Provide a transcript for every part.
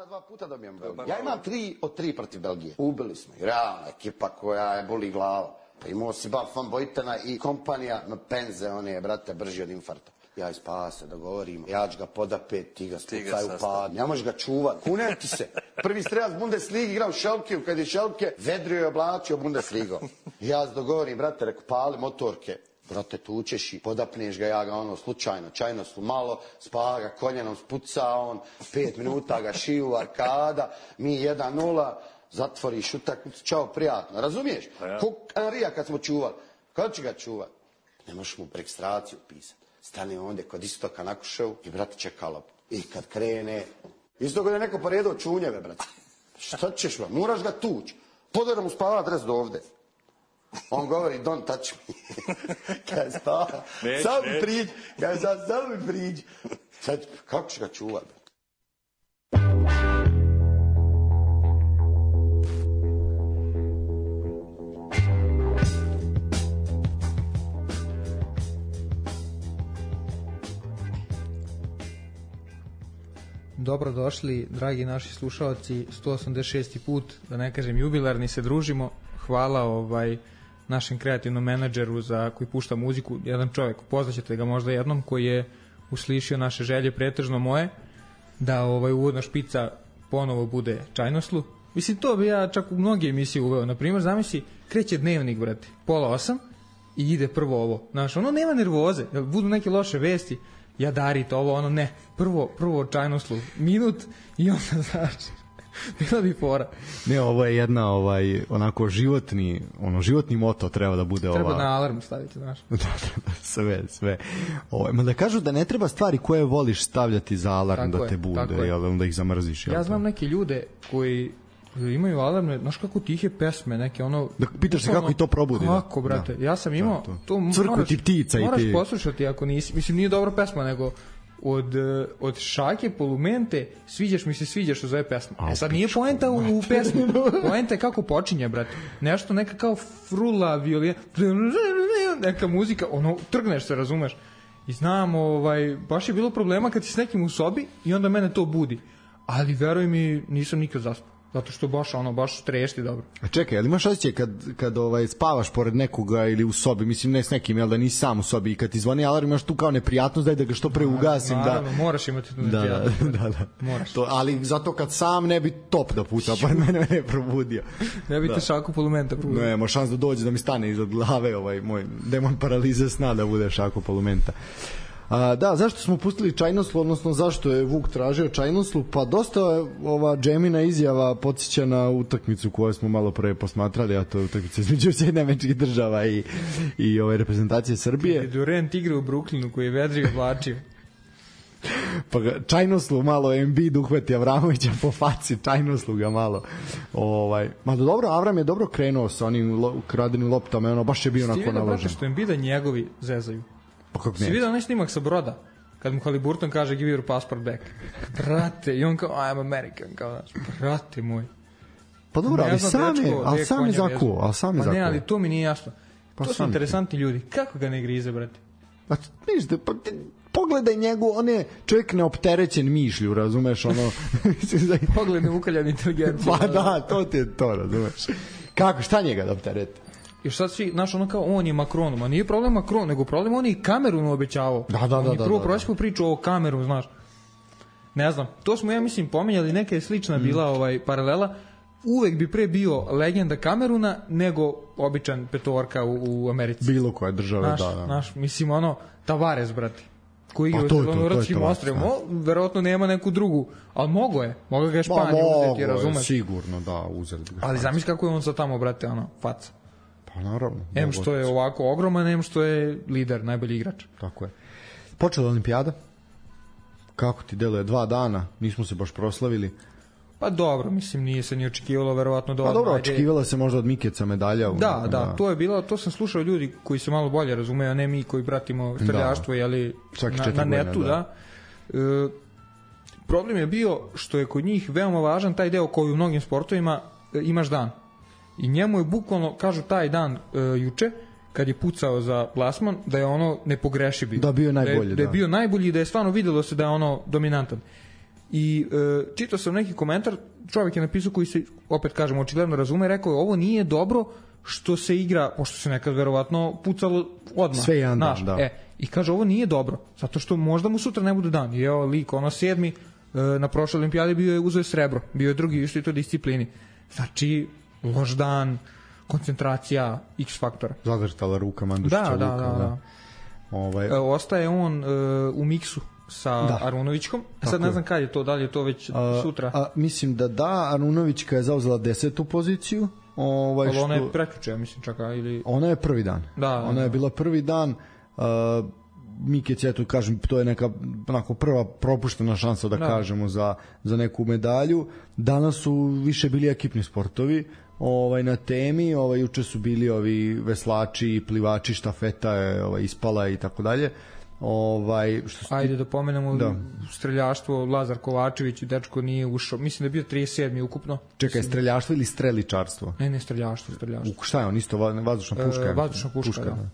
Dva puta dobijem Belgiju. Ja imam 3 od 3 protiv Belgije. Ubili smo ih. Realna ekipa koja je boli glava. Pa imao si Van Bojtena i kompanija na penze, on je, brate, brži od infarta. Ja ispava se, dogovorimo. Ja ću ga podapet, ti ga spucaj u pad. Ne možeš ga čuvat. Kunem ti se. Prvi strelac Bundesligi igra u Šelkiju. Kad je Šelke, vedrio je oblačio Bundesligom. Ja se dogovorim, brate, reku, pali motorke. Brate, tučeš i podapneš ga, ja ga ono slučajno, čajno su malo, spava ga koljenom, spuca on, 5 minuta ga šiju, arkada, mi 1-0, zatvoriš utakmicu, čao, prijatno, razumiješ? Ja. Ko Anrija kad smo čuvali, kada će ga čuvati? Ne možeš mu registraciju pisati. Stane ondje kod Istoka na Kuševu i brate čeka loptu. I kad krene, isto kada je neko poredao čunjeve, brate. Šta ćeš, brate? Moraš ga tući. Podara mu spava adres do ovde. On govori, don't touch me. Kaj spava? Sam mi priđi. Kaj sam mi priđi. Sad, kako će ga čuvati? Dobrodošli, dragi naši slušalci, 186. put, da ne kažem jubilarni, se družimo. Hvala našem kreativnom menadžeru koji pušta muziku, jedan čovjek, upoznaćete ga možda jednom, koji je uslišio naše želje, pretežno moje, da uvodna špica ponovo bude čajnoslu. Mislim, to bi ja čak u mnoge emisije uveo. Naprimjer, zamisli, kreće dnevnik, brate, 7:30 i ide prvo ovo. Znaš, ono nema nervoze, budu neke loše vesti, jadarit ovo, ono ne, prvo čajnoslu, minut i onda znači, bila bi fora. Ne, ovo je jedna onako životni moto treba da bude. Treba na alarm staviti, znaš. sve. Ma da kažu da ne treba stvari koje voliš stavljati za alarm, tako da te bude, jel, onda ih zamrziš. Ja znam neke ljude koji imaju alarme, znaš kako tihe pesme, neke ono... Da pitaš se kako i to probudi. Kako, brate, ja sam imao... Crku ti ptica i ti... Moraš poslušati ako nisi, mislim nije dobra pesma, nego od Šake Polumente sviđaš mi se, što zove pesma. Sad nije poenta u pesmi, poenta je kako počinje, brate. Nešto neka kao frula, violina, neka muzika, ono, trgneš se, razumeš. I znam, baš je bilo problema kad si s nekim u sobi i onda mene to budi. Ali veruj mi, nisam nikad zaspao. Zato što baš trešti dobro. A čekaj, ali imaš osjećaj kad spavaš pored nekoga ili u sobi, mislim ne s nekim, jel da nisi sam u sobi i kad ti zvoni alarm imaš tu kao neprijatnost, daj da ga što pre ugasim. Naravno, moraš imati tu neprijatnost. Da. Moraš. Ali zato kad sam ne bi top da puca, pa mene ne probudio. Ne bi te Šaku Polumenta probudio. Ne, ima šans da dođe da mi stane iza glave moj demon paralize sna da bude Šaku Polumenta. Da, zašto smo pustili čajnoslu, odnosno zašto je Vuk tražio čajnoslu? Pa dosta ova Džemina izjava podsjeća na utakmicu koju smo malo pre posmatrali, a to je utakmica između Sjedinjenih Američkih Država i reprezentacije Srbije. Durant igra u Brooklynu koji je vedrio vlačio. Pa čajnoslu malo Embiid uhvati Avramovića po faci, čajnoslu ga malo. Ma dobro, Avram je dobro krenuo sa onim kradenim loptama, ono baš je bio onako naložen. Brate, što Embida njegovi zezaju. Si vidio onaj snimak sa broda kad mu Haliburton kaže give your passport back, brate, i on kao I am American, kao znaš, brate moj. Pa dobro, ali sam je zakuo. Pa ne, ali to mi nije jasno. To su interesantni ljudi, kako ga ne grize, brate? Pa pogledaj njegu, on je čovjek neopterećen mišlju, razumeš, ono... Pogled neukaljan inteligencija. Pa da, to ti je to, razumeš. Kako, šta njega da optereti? Još sad svi, znaš, ono kao, on je Macronu, ma nije problem Macron, nego problem on je i Kamerunu obećavao. Da. On je prvo prošli priču o Kamerunu, znaš. Ne znam, to smo, ja mislim, pomenjali, neka je slična bila paralela. Uvek bi pre bio legenda Kameruna nego običan petorka u Americi. Bilo koja država, da. Znaš, mislim, ono, Tavares, brate, koji je u Zelenoradskim ostrvima, verovatno nema neku drugu, ali mogo ga je Španija uzeti, razumeš? Sigurno, da, uzeli ga. Ali zamisli kako je on sad tamo, brate, ono, faca. Pa naravno. Em što je ovako ogroman, em što je lider, najbolji igrač. Tako je. Počela olimpijada. Kako ti deluje 2 dana? Nismo se baš proslavili. Pa dobro, mislim, nije se ni očekivalo verovatno da... Pa dobro, očekivala se možda od Mikeca medalja. Da, to je bilo, to sam slušao ljudi koji se malo bolje razumeju, a ne mi koji pratimo streljaštvo, jeli, na netu, da. Problem je bio što je kod njih veoma važan taj deo koji u mnogim sportovima imaš dan. I njemu je bukvalno, kažu taj dan juče, kad je pucao za plasman, da je ono nepogrešiv bio. Da, bio najbolji, da je bio najbolji i da je stvarno videlo se da je ono dominantan. I čitao sam neki komentar, čovjek je napisao koji se, opet kažem, očigledno razume, rekao je ovo nije dobro što se igra, pošto se nekad verovatno pucalo odmah. Sve jedan dan, da. I kaže ovo nije dobro, zato što možda mu sutra ne bude dan. I evo lik, ono 7. Na prošloj olimpijadi bio je uzeo srebro, bio je drugi u istoj toj disciplini. Znači, loš dan, koncentracija, X faktora. Zadrtala ruka Mandušića. Da. Ostaje on u miksu sa Arunovićkom. Sad ne znam kad je to, da li je to već sutra? Mislim da Arunovićka je zauzela 10. poziciju. Ali ona je preključena, mislim čak, ili... Ona je prvi dan. Ona je bila prvi dan. Mikec, eto kažem, to je neka onako prva propuštena šansa da kažemo za neku medalju. Danas su više bili ekipni sportovi na temi, juče su bili ovi veslači, plivači, štafeta je ispala i tako dalje. Ajde da pomenemo streljaštvo, Lazar Kovačević, dečko nije ušao, mislim da je bio 37. ukupno. Čekaj, streljaštvo ili streličarstvo? Ne, streljaštvo. Šta je on, isto vazdušna puška? Vazdušna puška, da.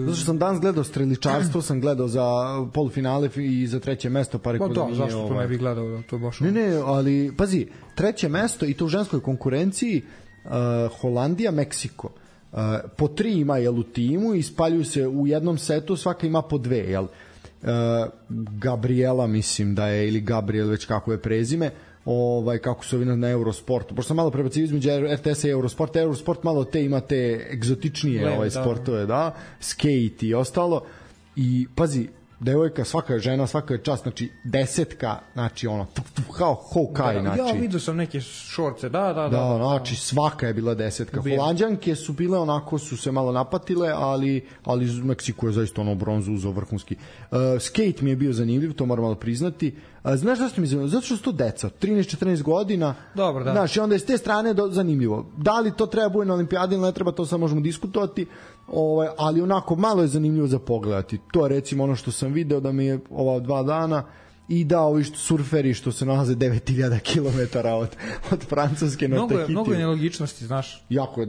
Zato što sam danas gledao streličarstvo, sam gledao za polufinale i za treće mesto, pa rekao da mi je... zašto to ne bi gledao, to je baš... Ne, ali pazi, treće mesto i to u ženskoj konkurenciji, Holandija, Meksiko. Po 3 ima u timu i spaljuju se u jednom setu, svaka ima po 2, Gabriela mislim da je, ili Gabriel, već kako je prezime, kako su ovi na Eurosportu, pošto sam malo prebacio između RTS-a i Eurosport malo ima te egzotičnije sportove, skate i ostalo, i pazi, devojka, svaka žena, svaka je čast, znači 10, znači ono kao Hawkeye, znači. Ja vidio sam neke šorce, da. Znači svaka je bila 10. Holanđanke su bile onako, su se malo napatile, ali Meksiko je zaista ono bronzu uzeo vrhunski. Skate mi je bio zanimljiv, to moram malo priznati. Znaš zašto mi je zanimljivo? Zato što su to deca, 13-14 godina. Dobro, da. Znaš, i onda je s te strane zanimljivo. Da li to treba bude na olimpijadi ili ne treba, to sad možemo diskutovati, ali onako malo je zanimljivo za pogledati. To je recimo ono što sam video da mi je ova 2 dana, i da ovi surferi što se nalaze 9000 km od Francuske na Tahitiju. Mnogo je nelogičnosti, znaš. Jako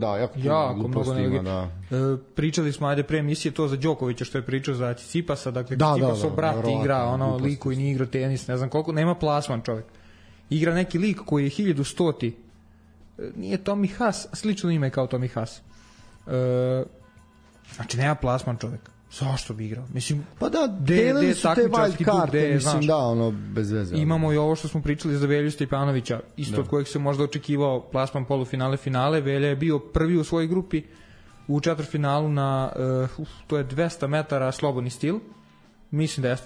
mnogo nelogičnosti. Pričali smo, ajde pre emisije, to za Đokovića što je pričao za Tsitsipasa, dakle Tsitsipasov brat igra lik koji nije igrao tenis, ne znam koliko, nema plasman čovjek. Igra neki lik koji je 1100, nije Tommy Haas, slično ime kao Tommy Haas. Znači nema plasman čovjek. Zašto bi igrao? Mislim, pa da, delili su te wild karte, mislim, bez veze. Imamo i ovo što smo pričali za Velju Stepanovića, isto od kojeg se možda očekivao plasman polufinale, Velja je bio prvi u svojoj grupi u četvrtfinalu na, to je 200 metara slobodni stil, mislim da je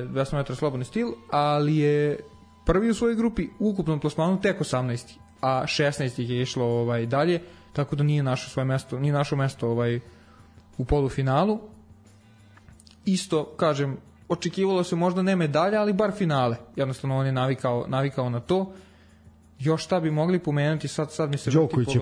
200 metara slobodni stil, ali je prvi u svojoj grupi u ukupnom plasmanu tek 18, a 16 ih je išlo dalje, tako da nije našao svoje mesto, nije našao mesto u polufinalu. Isto, kažem, očekivalo se možda ne medalja, ali bar finale. Jednostavno on je navikao na to. Još šta bi mogli pomenuti, sad mi se Đoković je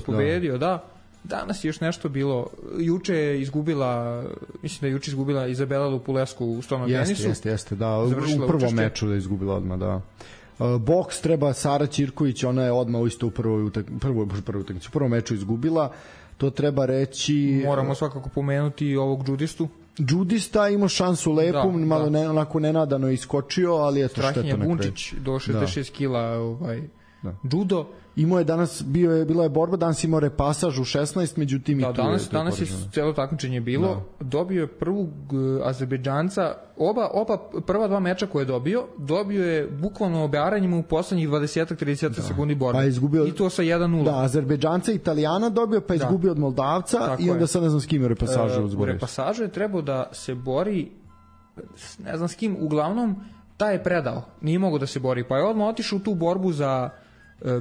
pobedio, da. Danas je još nešto bilo. Juče je izgubila, mislim da je juče izgubila Izabela Lupulescu u stolnom tenisu. Jeste, da. U prvom meču da je izgubila odmah, da. Boks treba Sara Ćirković, ona je odmah isto u prvom meču izgubila. To treba reći... Moramo svakako pomenuti ovog judistu. Judista imao šansu lepu, malo onako nenadano je iskočio, ali eto šteta na kraju. Strahinja Bunčić do 66 kila judo. Imao je danas, bila je borba, danas imao repasaž u 16, međutim i tu je... Danas je celo takmičenje bilo, dobio je prvog Azerbejdžanca, oba prva 2 meča koje je dobio je bukvalno obearanjima u poslednjih 20-30 sekundi borbe. I to sa 1-0. Da, Azerbejdžanca Italijana dobio, pa izgubio od Moldavca i onda sad ne znam s kim je repasažu. U repasažu je trebao da se bori, ne znam s kim, uglavnom taj je predao, nije mogao da se bori, pa je odmah otišao u tu borbu za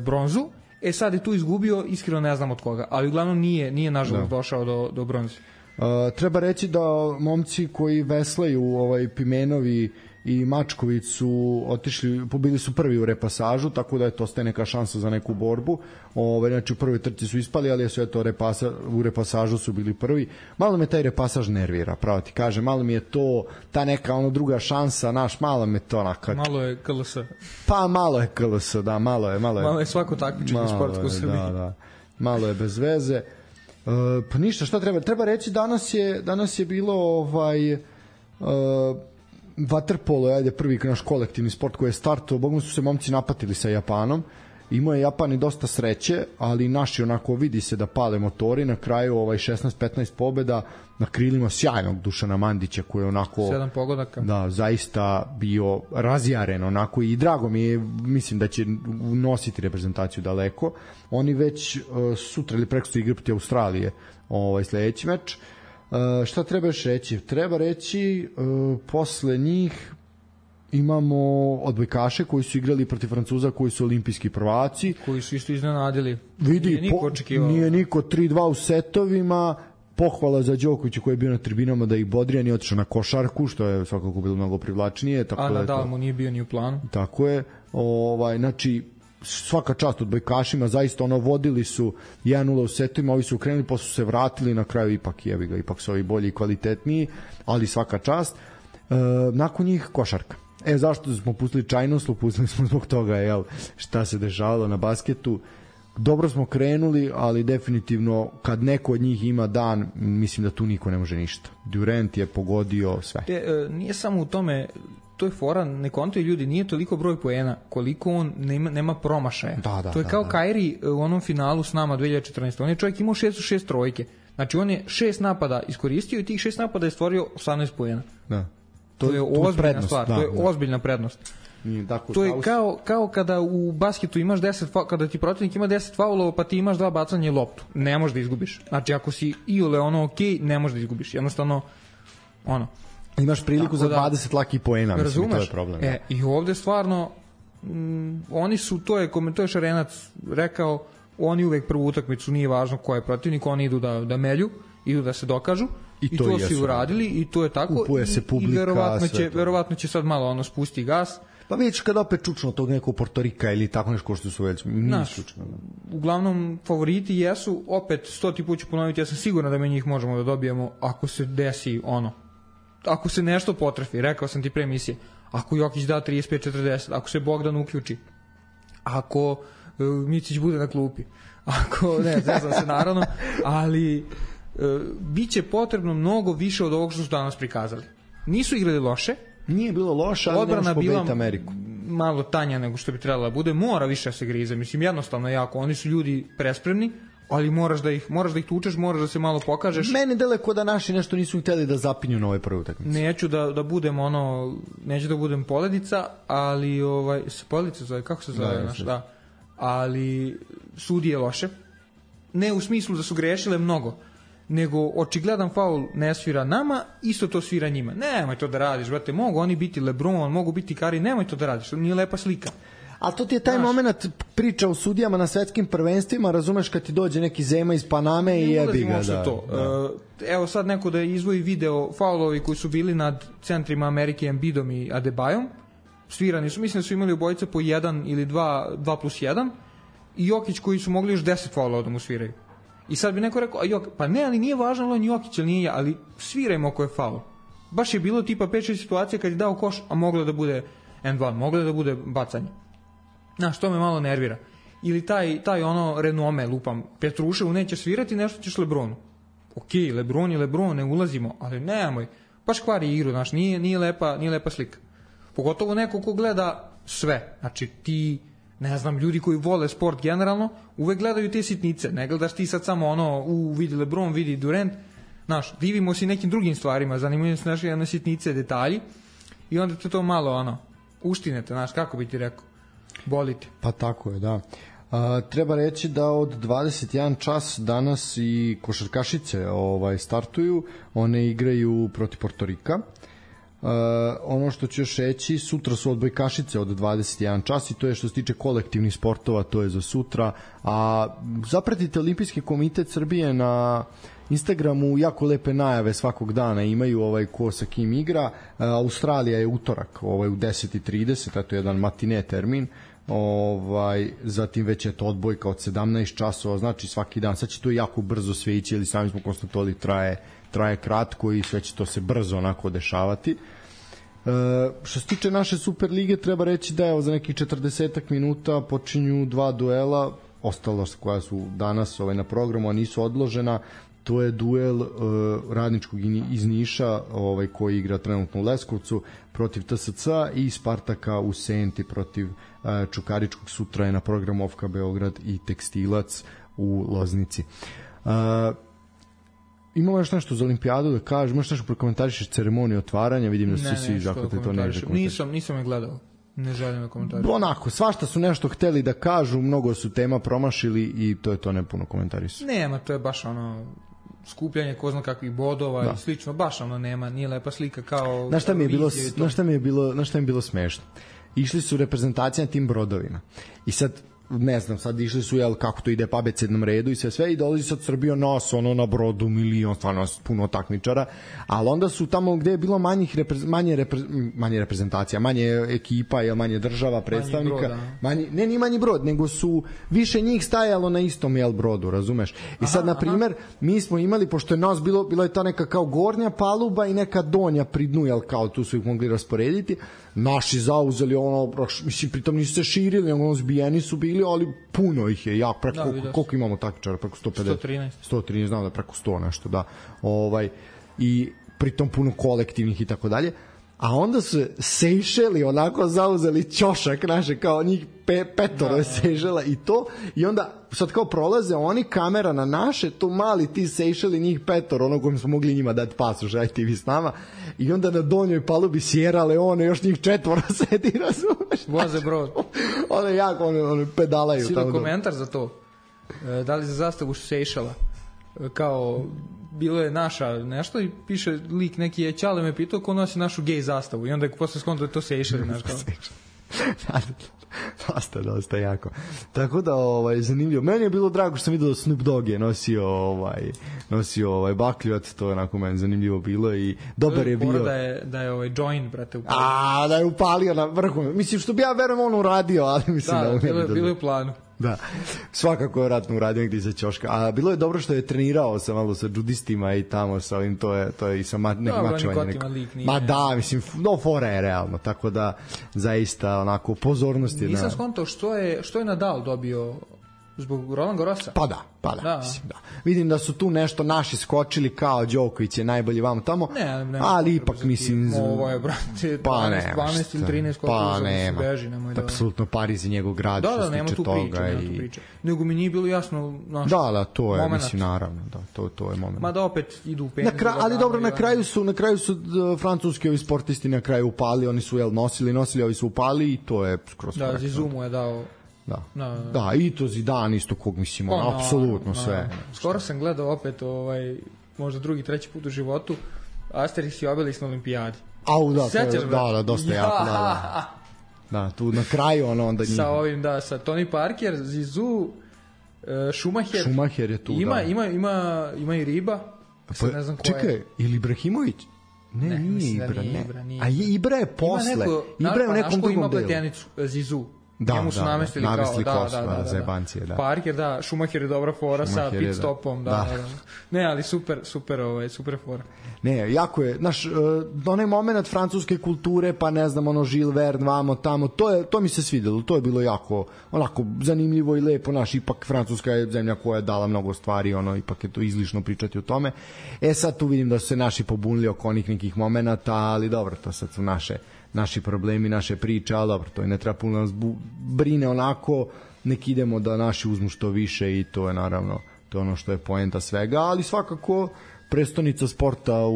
bronzu, sad je tu izgubio, iskreno ne znam od koga, ali uglavnom nije nažalost došao do bronze. Treba reći da momci koji veslaju Pimenovi i Mačković su otišli, bili su prvi u repasažu, tako da je to ostaje neka šansa za neku borbu. Znači u prvoj trci su ispali, ali su eto u repasažu su bili prvi. Malo me taj repasaž nervira, pravo ti kažem, malo mi je to ta neka druga šansa, malo me to onako. Malo je KLS. Pa malo je KLS, da, malo je svako takmičenje sportsko u Srbiji. Da. Malo je bez veze. Pa ništa, šta treba reći, danas je bilo vaterpolo, ajde, prvi naš kolektivni sport koji je startao, bogom su se momci napatili sa Japanom, imao je Japan i dosta sreće, ali naši onako vidi se da pale motori, na kraju 16-15 pobeda na krilima sjajnog Dušana Mandića koji je onako 7 pogodaka. Da, zaista bio razjaren onako i drago mi je, mislim da će nositi reprezentaciju daleko. Oni već sutra ili prekosutra igraju protiv Australije sledeći meč. Šta treba još reći? Treba reći posle njih imamo odbojkaše koji su igrali protiv Francuza koji su olimpijski prvaci. Koji su isto iznenadili. Vidi, nije niko 3-2 u setovima. Pohvala za Đokovića koji je bio na tribinama da ih bodrija, nije otišao na košarku, što je svakako bilo mnogo privlačnije. Tako a Nadal mu nije bio ni u planu. Tako je. Znači, svaka čast odbojkašima, zaista vodili su 1-0 u setovima, ovi su krenuli, pa su se vratili, na kraju ipak su ovi bolji i kvalitetniji, ali svaka čast. Nakon njih košarka. Zašto smo pustili Čajnoslu? Pustili smo zbog toga, šta se dešavalo na basketu. Dobro smo krenuli, ali definitivno kad neko od njih ima dan, mislim da tu niko ne može ništa. Durant je pogodio sve. Nije samo u tome, to je fora, ne kontaju ljudi, nije toliko broj poena koliko on nema promašaja. To je kao Kairi u onom finalu s nama 2014. On je čovjek imao 6 trojke. Znači on je 6 napada iskoristio i tih 6 napada je stvorio 18 poena. Da. To je ozbiljna stvar, to je ozbiljna prednost. To je kao kada u basketu imaš 10 kada ti protivnik ima 10 faulova pa ti imaš 2 bacanja i loptu. Ne možeš da izgubiš. Znači ako si iole okej, ne možeš da izgubiš. Jednostavno imaš priliku za 20 laki poena, mislim, to je problem. I ovde stvarno oni su, to je Šarenac rekao, oni uvek prvu utakmicu, nije važno ko je protivnik, oni idu da melju, idu da se dokažu. I to su uradili i to je tako. Kupuje se publika. I verovatno će sad malo spusti gas. Pa vidiš kada opet čučno tog nekog Portorika ili tako nešto što su već čučno. Uglavnom favoriti jesu, opet 100 put ću ponoviti, ja sam siguran da mi njih možemo da dobijemo ako se desi ako se nešto potrefi, rekao sam ti pre emisije, ako Jokić da 35-40, ako se Bogdan uključi, ako Micić bude na klupi, ako, ne znam se naravno, ali bit će potrebno mnogo više od ovog što su danas prikazali. Nisu igrali loše. Nije bilo loše, ali nemaš pobediti Ameriku. Malo tanja nego što bi trebala da bude. Mora više se grize. Mislim, jednostavno jako. Oni su ljudi prespremni, ali moraš da ih tučeš, moraš da se malo pokažeš. Meni daleko da naši nešto nisu hteli da zapinju na ovoj prvoj utakmici. Neću da budem neću da budem poledica, ali poledica zove, kako se zove naš, da. Ali sudije loše. Ne u smislu da su grešile mnogo, nego očigledan faul ne svira nama, isto to svira njima. Nemoj to da radiš, brate, mogu oni biti LeBron, mogu biti Curry, nemoj to da radiš, to nije lepa slika. A to ti je taj moment priča o sudijama na svetskim prvenstvima, razumeš, kad ti dođe neki Zema iz Paname i jebi ga. Evo sad neko da izvoji video faulovi koji su bili nad centrima Amerike, Embiidom i Adebayom, svirani su, mislim da su imali obojice po 1 ili 2+1 i Jokić koji su mogli još 10 faulova da mu sviraju. I sad bi neko rekao, pa ne, ali nije važno ali on Jokić, ali nije, ali svirajmo ako je faul. Baš je bilo tipa 5-6 situacija kad je dao koš, a moglo da bude end-one, moglo da bude bacanje. Znaš, to me malo nervira. Ili taj renome, lupam, Petruševu neće svirati, nešto ćeš Lebronu. Okej, Lebron je Lebron, ne ulazimo, ali nemoj, baš kvari igru, znaš, nije lepa slika. Pogotovo neko ko gleda sve, znači ti, ne znam, ljudi koji vole sport generalno, uvek gledaju te sitnice, ne gledaš ti sad samo vidi Lebron, vidi Durant, znaš, divimo se nekim drugim stvarima, zanimaju se naše sitnice, detalji i onda te to malo, uštinete, znaš, kako bi ti rekao, bolite. Pa tako je, da. Treba reći da od 21 čas danas i košarkašice startuju, one igraju protiv Portorika. Ono što ću još reći, sutra su odbojkašice od 21 čas i to je što se tiče kolektivnih sportova, to je za sutra. A zapratite Olimpijski komitet Srbije na Instagramu jako lepe najave svakog dana imaju ko sa kim igra. Australija je utorak u 10:30, to je jedan matine termin. Zatim već je to odbojka od 17 časova, znači svaki dan. Sad će to jako brzo sve ići, ili sami smo konstatovali traje kratko i sve će to se brzo onako dešavati. Što se tiče naše Super lige, treba reći da za nekih 40 minuta počinju 2 duela, ostalo koja su danas na programu, a nisu odložena. To je duel Radničkog iz Niša, koji igra trenutno u Leskovcu protiv TSC i Spartaka u Senti protiv Čukaričkog. Sutra je na programu OFK Beograd i Tekstilac u Loznici. Imamo još nešto za olimpijadu da kažeš, možeš nešto prokomentarišeš ceremoniju otvaranja, vidim da su svi zakljate to ne nisam je gledao, ne želim da komentarišem. Onako, svašta su nešto hteli da kažu, mnogo su tema promašili i to je to, ne puno komentarišu. Nema, to je baš skupljanje ko zna kakvih bodova i slično, baš nema, nije lepa slika kao... Znaš šta mi je bilo smešno? Išli su reprezentacije na tim brodovima i sad ne znam, sad išli su kako to ide po abecednom redu i sve i dolazi sad Srbija nas na brodu milion, stvarno puno takmičara, ali onda su tamo gde je bilo manje reprezentacija, manje ekipa, manje država, predstavnika, nije manji brod, nego su više njih stajalo na istom brodu, razumeš? I sad, na primer, mi smo imali, pošto je nas bilo je ta neka kao gornja paluba i neka donja pri dnu, kao tu su ih mogli rasporediti, naši zauzeli mislim, pritom nisu se širili, zbijeni su bili, ali puno ih je, koliko imamo takmičara, preko 150? 113, znam da preko 100 nešto, da. I pritom puno kolektivnih i tako dalje. A onda su Sejšeli onako zauzeli ćošak naše, kao njih petoro je Sejšela i to, i onda sad kao prolaze oni, kamera na naše, to mali ti Sejšeli, njih petoro, kojim smo mogli njima dati pasoš, ajte vi s nama, i onda na donjoj palubi Sierra Leone, još njih 4 sedi, razumeš? Voze brod. Ono jako, pedalaju. Si da komentar za to? Da li za zastavu Sejšela? Kao bilo je naša nešto i piše lik neki je Ćale me pitao ko nosi našu gej zastavu i onda je posle skonto da je to Sejšeli naš kao. Dosta jako. Tako da zanimljivo. Meni je bilo drago što sam vidio da Snoop Dogg je nosio bakljuvac, to je onako meni zanimljivo bilo i dobar je bio. Da je joint, brate, upalio. Da je upalio na vrhu. Mislim, što bi ja verujem on uradio, ali mislim da bilo je u planu. Da, svakako je vratno uradio negdje za ćoška. A bilo je dobro što je trenirao malo sa džudistima i tamo sa ovim, to je i sa nekim mačovanjem. Mislim, fora je realno, tako da zaista onako pozornost je. Nisam skontao što je Nadal dobio zbog Roland Garrosa. Pa da. Mislim, da. Vidim da su tu nešto naši skočili kao Đoković je najbolji vamo tamo, ali ipak mislim... Ovo je, brate, 12 ili 13 skočili za se beži, nemoj da... Apsolutno Pariz je njegov grad što se tiče toga. Nema tu priče. Nego mi nije bilo jasno naš to je, moment. Mislim, naravno, to je moment. Ma da opet idu u penis. Ali dobro, na kraju su francuski ovi sportisti na kraju upali, oni su nosili, ovi su upali i to je skroz korektno. Da, Zizumu je dao... Da, i to Zidane isto kog mislim, apsolutno sve. Skoro sam gledao opet možda drugi, treći put u životu Asterix i Obelix na olimpijadi. Da, dosta jako, da, tu na kraju onda njih. Sa ovim, sa Tony Parker, Zizou, Schumacher je tu, ima i Riba, sad ne znam ko je. Čekaj, ili Ibrahimović? Nije Ibra, ne. A Ibra je posle. Ibra je u nekom drugom delu. Ima pletenicu, Zizou. Njemu su namestili za jebancije, da. Parker, Schumacher je dobra fora sa pit stopom, Ne, ali super fora. Ne, jako je, onaj moment francuske kulture, pa ne znam, Jules Verne, vamo, tamo, to mi se svidjelo, to je bilo jako, onako, zanimljivo i lepo, ipak Francuska je zemlja koja je dala mnogo stvari, ipak je to izlišno pričati o tome. Sad tu vidim da su se naši pobunili oko onih nekih momenata, ali dobro, to sad su naši problemi, naše priče, ali dobro, to je ne treba puno nas brine onako, nek idemo da naši uzmu što više i to je naravno, to je ono što je poenta svega, ali svakako prestonica sporta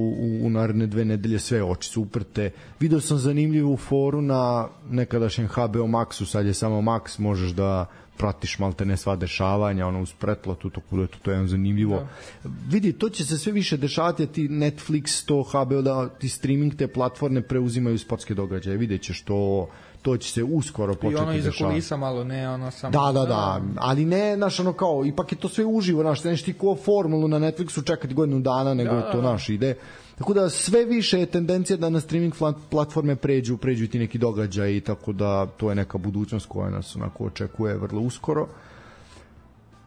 u naredne 2 nedelje, sve oči su uprte. Video sam zanimljivu foru na nekadašnjem HBO Maxu, sad je samo Max, možeš da pratiš malte ne sva dešavanja, uz pretplatu, to je zanimljivo. Vidi, to će se sve više dešavati, ti Netflix, to HBO, da ti streaming, te platforme preuzimaju sportske događaje, vidjet ćeš to to će se uskoro početi dešavati. I ono iza kulisa malo, ne ono samo... Da, ali ne, znaš, ono kao, ipak je to sve uživo, znaš, nešto ti ko formulu na Netflixu čekati godinu dana, nego to naš ide. Tako da sve više je tendencija da na streaming platforme pređu i ti neki događaji, tako da to je neka budućnost koja nas onako očekuje vrlo uskoro.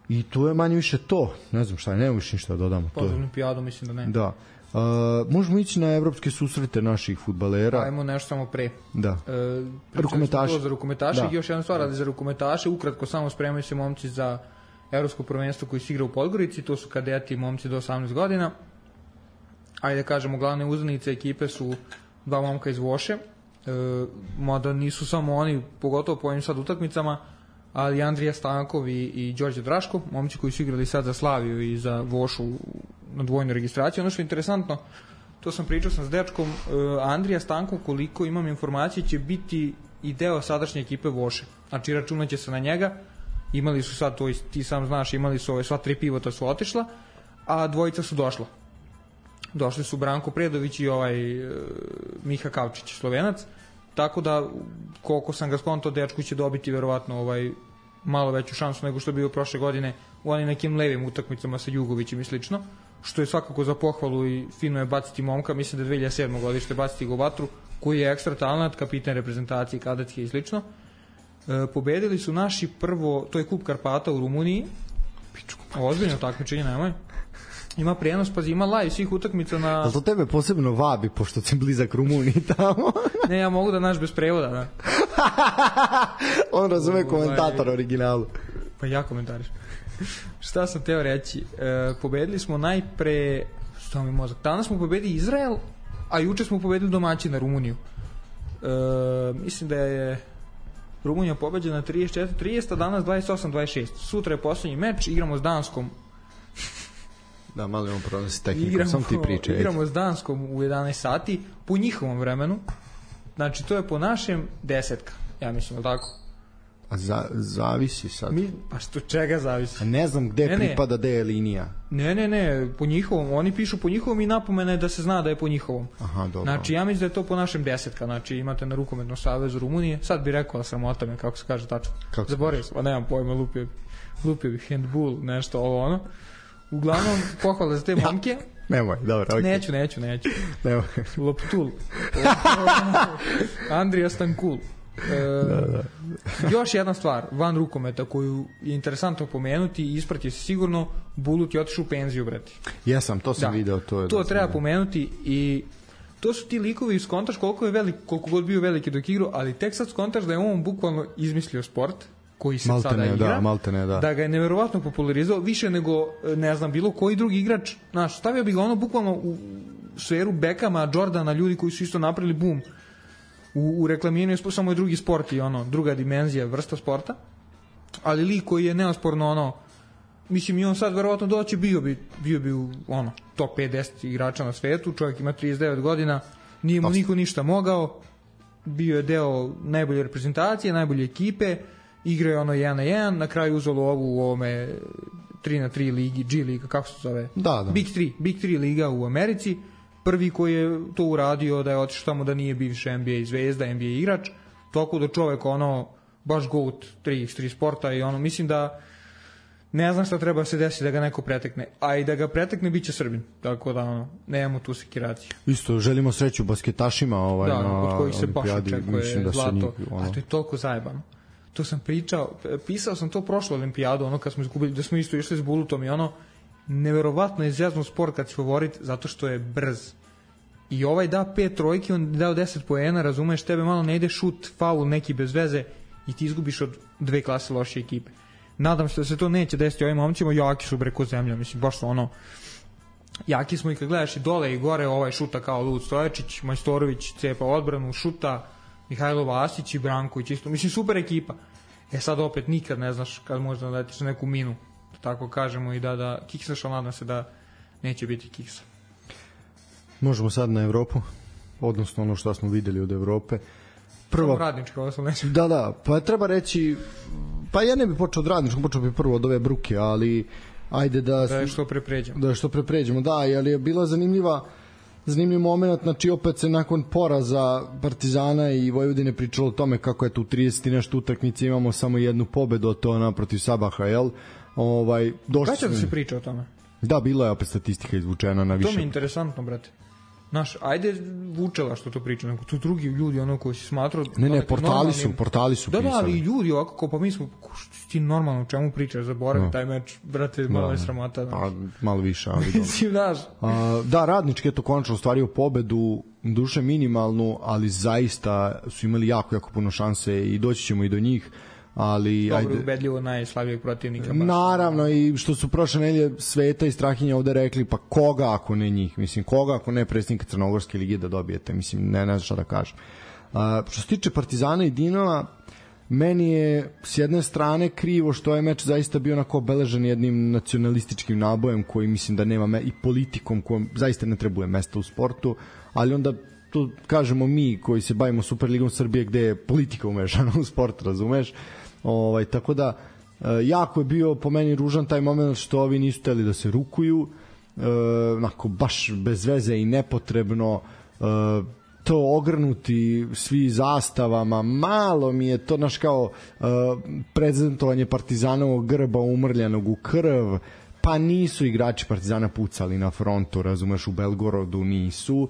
I to je manje više to. Ne znam šta, nema više ništa da dodamo. Pa za olimpijadu mislim da ne. Da. Možemo ići na evropske susrete naših fudbalera. Ajmo nešto samo pre. Da. Rukometaši. Za rukometaše i još jedna stvar, ali za rukometaše ukratko samo spremaju se momci za evropsko prvenstvo koji se igra u Podgorici, to su kadeti momci do 18 godina. Ajde kažemo, glavne uzanice ekipe su dva momka iz Voše, mada nisu samo oni, pogotovo po ovim sad utakmicama, ali Andrija Stankov i Đorđe Draško, momci koji su igrali sad za Slaviju i za Vošu na dvojnu registraciju. Ono što je interesantno, to sam pričao s dečkom, Andrija Stankov, koliko imam informacije, će biti i deo sadašnje ekipe Voše. Znači računat će se na njega, imali su sad, to ti sam znaš, imali su sva 3 pivota su otišla, a dvojica su došla. Došli su Branko Predović i Miha Kavčić, Slovenac, tako da koliko sam ga skonto, dečku će dobiti verovatno malo veću šansu nego što je bio prošle godine u onim nekim levim utakmicama sa Jugovićem i slično, što je svakako za pohvalu i fino je baciti momka, mislim da je 2007. godište baciti ga u vatru, koji je ekstra talent, kapitan reprezentacije, kadetske i slično. Pobedili su naši prvo, to je Kup Karpata u Rumuniji, ozbiljno takmičenje, nemoj. Ima prenos, pazi, ima live svih utakmica na... Ali to tebe posebno vabi, pošto si blizak Rumuniji tamo. Ne, ja mogu da naš bez prevoda, da. On razume komentator originalu. Pa ja komentariš. Šta sam teo reći? Pobedili smo najpre... Što mi mozak? Danas smo pobedili Izrael, a juče smo pobedili domaćina Rumuniju. Mislim da je Rumunija pobeđena 34-30, a danas 28-26. Sutra je poslednji meč, igramo s Danskom. Da, malo imamo problem s tehnikom, sam ti pričaj. Igramo s Danskom u 11 sati, po njihovom vremenu. Znači, to je po našem 10, ja mislim, tako? A zavisi sad. Pa što, čega zavisi? A ne znam gde pripada, gde je linija. Ne, po njihovom. Oni pišu po njihovom i napomene da se zna da je po njihovom. Aha, dobro. Znači, ja mislim da je to po našem 10. Znači, imate na Rukometnom savezu Rumunije. Sad bi rekao sramota me, kako se kaže tačno. Zaboravio sam, nemam pojma, lupio bi handball, nešto ovo ono. Uglavnom, pohvala za te momke. Nemoj, dobro, okej. Neću. Nemoj. Loptul. Andrija Stankul. Još jedna stvar, van rukometa koju je interesantno pomenuti i isprati se sigurno, Bulut je otišao u penziju, brati. Jesam, to sam video. To treba pomenuti i to su ti likovi, skontaš koliko god bio veliki dok igrao, ali tek sad skontaš da je on bukvalno izmislio sport koji se sada igra, da ga je neverovatno popularizao, više nego, ne znam, bilo koji drugi igrač, znaš, stavio bi ga ono bukvalno u sferu Beckhama, Jordana, ljudi koji su isto napravili boom u reklamiranju, samo je drugi sport i druga dimenzija, vrsta sporta, ali lik koji je neosporno mislim i on sad verovatno doći bio bi u top 5-10 igrača na svetu, čovjek ima 39 godina, nije mu niko ništa mogao, bio je deo najbolje reprezentacije, najbolje ekipe, igrao je 1-1, na kraju uzelo ovu u ovome 3x3 ligi, G liga, kako se zove? Da. Big 3 liga u Americi, prvi koji je to uradio, da je otišao tamo da nije bivši NBA zvezda, NBA igrač, toliko da čovek baš goat 3x3 sporta i mislim da ne znam šta treba se desiti da ga neko pretekne, a i da ga pretekne bit će Srbin, tako da nemamo tu sekiraciju. Isto, želimo sreću basketašima od kojih se baš očekuje zlato, a to je toliko zajebano. To sam pisao sam to prošlo olimpijadu, kad smo izgubili, da smo isto išli s Bulutom i neverovatno je zjazno sport kad si favorit, zato što je brz. I da 5 trojki, on dao 10 poena, razumeš, tebe malo ne ide šut, faul neki bez veze i ti izgubiš od 2 klase loše ekipe. Nadam se da se to neće desiti ovim momcima, jaki su breko zemlja, mislim, baš jaki smo i kad gledaš i dole i gore, šuta kao Lud Stojačić, Majstorović cepa odbranu, šuta, Mihajlo Vasić i Branković isto, mislim, super ekipa. Sad opet nikad ne znaš kad možda dati se neku minu, tako kažemo, i da kiksaš, ali nadam se da neće biti kiksa. Možemo sad na Evropu, odnosno ono što smo videli od Evrope. Prvo radničko, ovo sam neće. Da, pa treba reći, pa ja ne bih počeo od radničkog, počeo bih prvo od ove bruke, ali ajde da je što prepređemo. Da, ali je bila zanimljiva zanimljiv moment, znači opet se nakon poraza Partizana i Vojvodine pričalo o tome kako je tu 30 i nešto utakmice, imamo samo jednu pobedu, a to ona protiv Sabaha, jel? Kada će da se priča o tome? Da, bila je opet statistika izvučena na više. To mi je interesantno, brate. Znaš, ajde Vučela što to priča, nego tu drugi ljudi ono koji si smatrao... Ne, portali su pisali. Da, ali ljudi ovako, kao pa mi smo, ti normalno o čemu pričaš, zaboravi taj meč, brate, malo je sramota. Pa, malo više, ali mislim, znaš. Da, Radnički je to konačno ostvario pobedu, duše minimalnu, ali zaista su imali jako puno šanse i doći ćemo i do njih. Ali dobro, ubedljivo najslabijeg protivnika baš. Naravno, i što su prošle nedelje Sveta i Strahinja ovde rekli, pa koga ako ne njih, mislim, koga ako ne predsjednika Crnogorske lige da dobijete, mislim, ne znam šta da kažem. Što se tiče Partizana i Dinama, meni je s jedne strane krivo što je meč zaista bio onako obeležen jednim nacionalističkim nabojem koji mislim da nema i politikom kojom zaista ne trebuje mesta u sportu, ali onda to kažemo mi koji se bavimo Superligom Srbije gde je politika umešana u sport, razumeš? Tako da jako je bio po meni ružan taj moment što ovi nisu hteli da se rukuju, onako baš bez veze i nepotrebno, to ogrnuti svi zastavama, malo mi je to naš kao prezentovanje Partizanovog grba umrljanog u krv, pa nisu igrači Partizana pucali na frontu, razumeš, u Belgorodu nisu.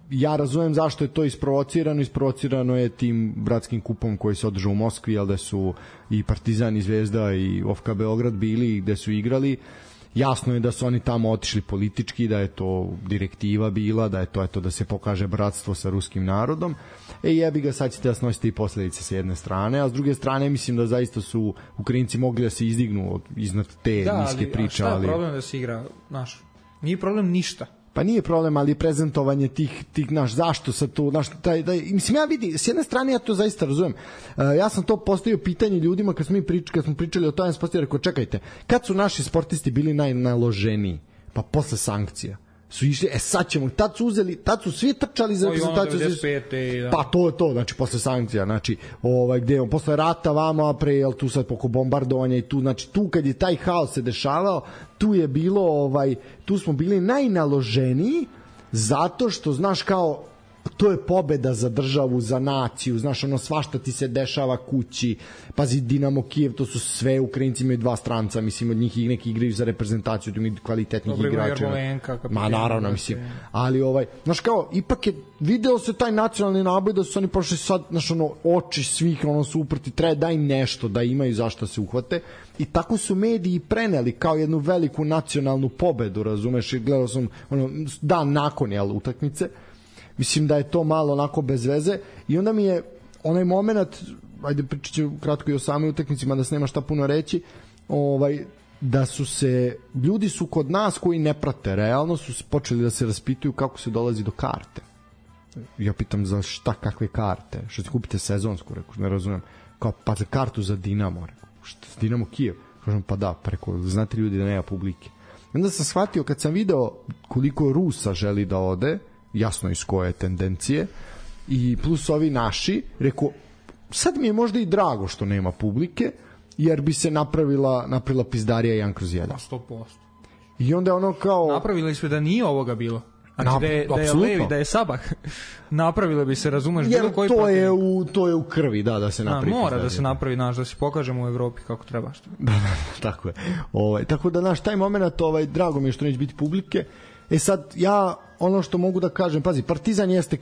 Ja razumem zašto je to isprovocirano je tim bratskim kupom koji se održao u Moskvi, ali da su i Partizan i Zvezda i OFK Beograd bili gde su igrali. Jasno je da su oni tamo otišli politički, da je to direktiva bila, da je to eto da se pokaže bratstvo sa ruskim narodom. Jebi ga, sad ćete da snosite i posledice sa jedne strane, a s druge strane mislim da zaista su Ukrajinci mogli da se izdignu iznad te niske priče. Da, ali šta je problem da se igra, znaš, nije problem ništa. Pa nije problem, ali prezentovanje tih naš, zašto sad to, naš, mislim, ja vidi, s jedne strane ja to zaista razumem. Ja sam to postavio pitanje ljudima kad smo pričali o tome, sam postavio, rekao, čekajte, kad su naši sportisti bili najnaloženiji? Pa posle sankcija su išli, sad ćemo, tad su svi trčali za reprezentaciju. Pa to je to, znači posle sankcija, znači gde posle rata vamo, a pre, jel tu sad poko bombardovanja i tu, znači tu kad je taj haos se dešavao, tu je bilo, tu smo bili najnaloženiji zato što, znaš, kao to je pobeda za državu, za naciju, znaš, ono svašta ti se dešava kući, pazi Dinamo Kijev, to su sve Ukrajinci, imaju dva stranca, mislim, od njih neki igraju za reprezentaciju, tu imaju kvalitetnih igrača. Ma naravno, mislim, ali znaš, kao, ipak je video se taj nacionalni naboj da su oni prošli sad, znaš, ono, oči svih, ono, su uprti, treba daj nešto da imaju zašto se uhvate, i tako su mediji preneli kao jednu veliku nacionalnu pobedu, razumeš, i gledao sam, ono, dan nakon, jel, utakmice. Mislim da je to malo onako bez veze i onda mi je onaj moment, ajde pričat ću kratko i o samoj utakmici, mada se nema šta puno reći, da su se, ljudi su kod nas koji ne prate, realno su počeli da se raspituju kako se dolazi do karte. Ja pitam za šta, kakve karte, što se kupite sezonsku, rekao, ne razumem, kao pa za kartu za Dinamo, rekao, šta za Dinamo Kijev, kažem pa da, preko, znate ljudi da nema publike. Onda sam shvatio kad sam video koliko Rusa želi da ode, jasno iz koje tendencije, i plus ovi naši, rekao, sad mi je možda i drago što nema publike, jer bi se napravila pizdarija 1/1. 100%. I onda ono kao... Napravili su da nije ovoga bilo. Znači da je Levi, da je Sabah, napravilo bi se, razumeš, bilo koji protiv. To je u krvi, da se napravi. Mora da se napravi, da se pokažemo u Evropi kako treba. Da, tako je. Tako da, taj moment, drago mi je što neće biti publike. Sad, ja, ono što mogu da kažem, pazi, Partizan jeste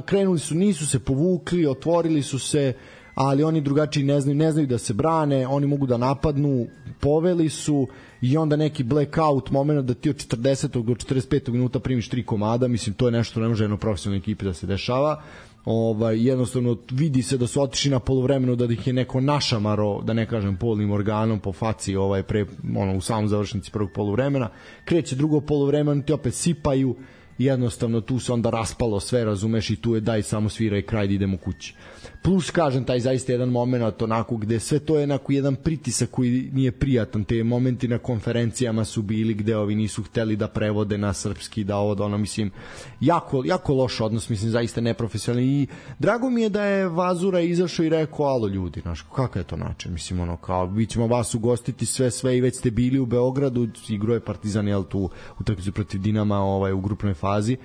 krenuli su, nisu se povukli, otvorili su se, ali oni drugačiji ne znaju da se brane, oni mogu da napadnu, poveli su i onda neki blackout moment da ti od 40. do 45. minuta primiš 3 komada, mislim, to je nešto ne može jedno profesionalne ekipe da se dešava. Jednostavno vidi se da su otišli na poluvremenu, da ih je neko našamaro, da ne kažem polnim organom po faci u samom završnici prvog poluvremena. Kreće drugo poluvremeno, ti opet sipaju i jednostavno tu se onda raspalo sve, razumeš, i tu je daj samo svira i kraj da idemo kući. Plus, kažem, taj zaista jedan moment onako gde sve to je onako jedan pritisak koji nije prijatan, te momenti na konferencijama su bili gde ovi nisu hteli da prevode na srpski, da ovo, da ono, mislim, jako loš odnos, mislim, zaista neprofesionalni, i drago mi je da je Vazura izašao i rekao, alo ljudi, znaš, kakav je to način, mislim, ono, kao, mi ćemo vas ugostiti sve i već ste bili u Beogradu, igrao je Partizan, jel, tu utakmicu protiv Dinama u grupnoj fazi.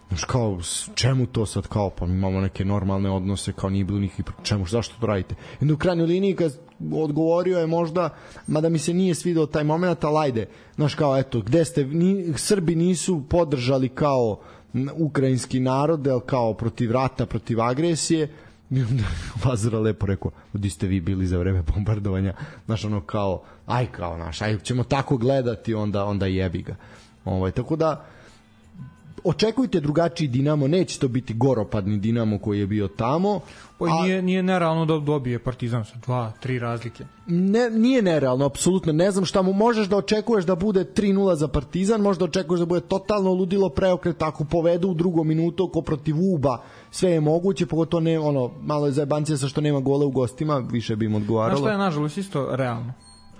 Znaš, kao, čemu to sad, kao, pa imamo neke normalne odnose, kao nije bilo nikakvih, čemu, zašto to radite? I u krajnjoj liniji, kad odgovorio je možda, mada mi se nije svidao taj moment, ali ajde, znaš, kao, eto, gde ste, Srbi nisu podržali kao ukrajinski narod, kao protiv rata, protiv agresije, Vazura lepo rekao, gdje ste vi bili za vreme bombardovanja, znaš, ono, kao, aj, ćemo tako gledati, onda jebi ga. Tako da, očekujte drugačiji Dinamo, neće to biti goropadni Dinamo koji je bio tamo. Nije nerealno da dobije Partizan sa 2-3 razlike. Nije nerealno, apsolutno. Ne znam šta mu možeš da očekuješ da bude 3-0 za Partizan, možda očekuješ da bude totalno ludilo preokret ako povedu u drugom minutu ko protiv Uba, sve je moguće, pogotovo ne, malo je zajebancija sa što nema gole u gostima, više bi im odgovaralo. Znaš šta je nažalost isto realno?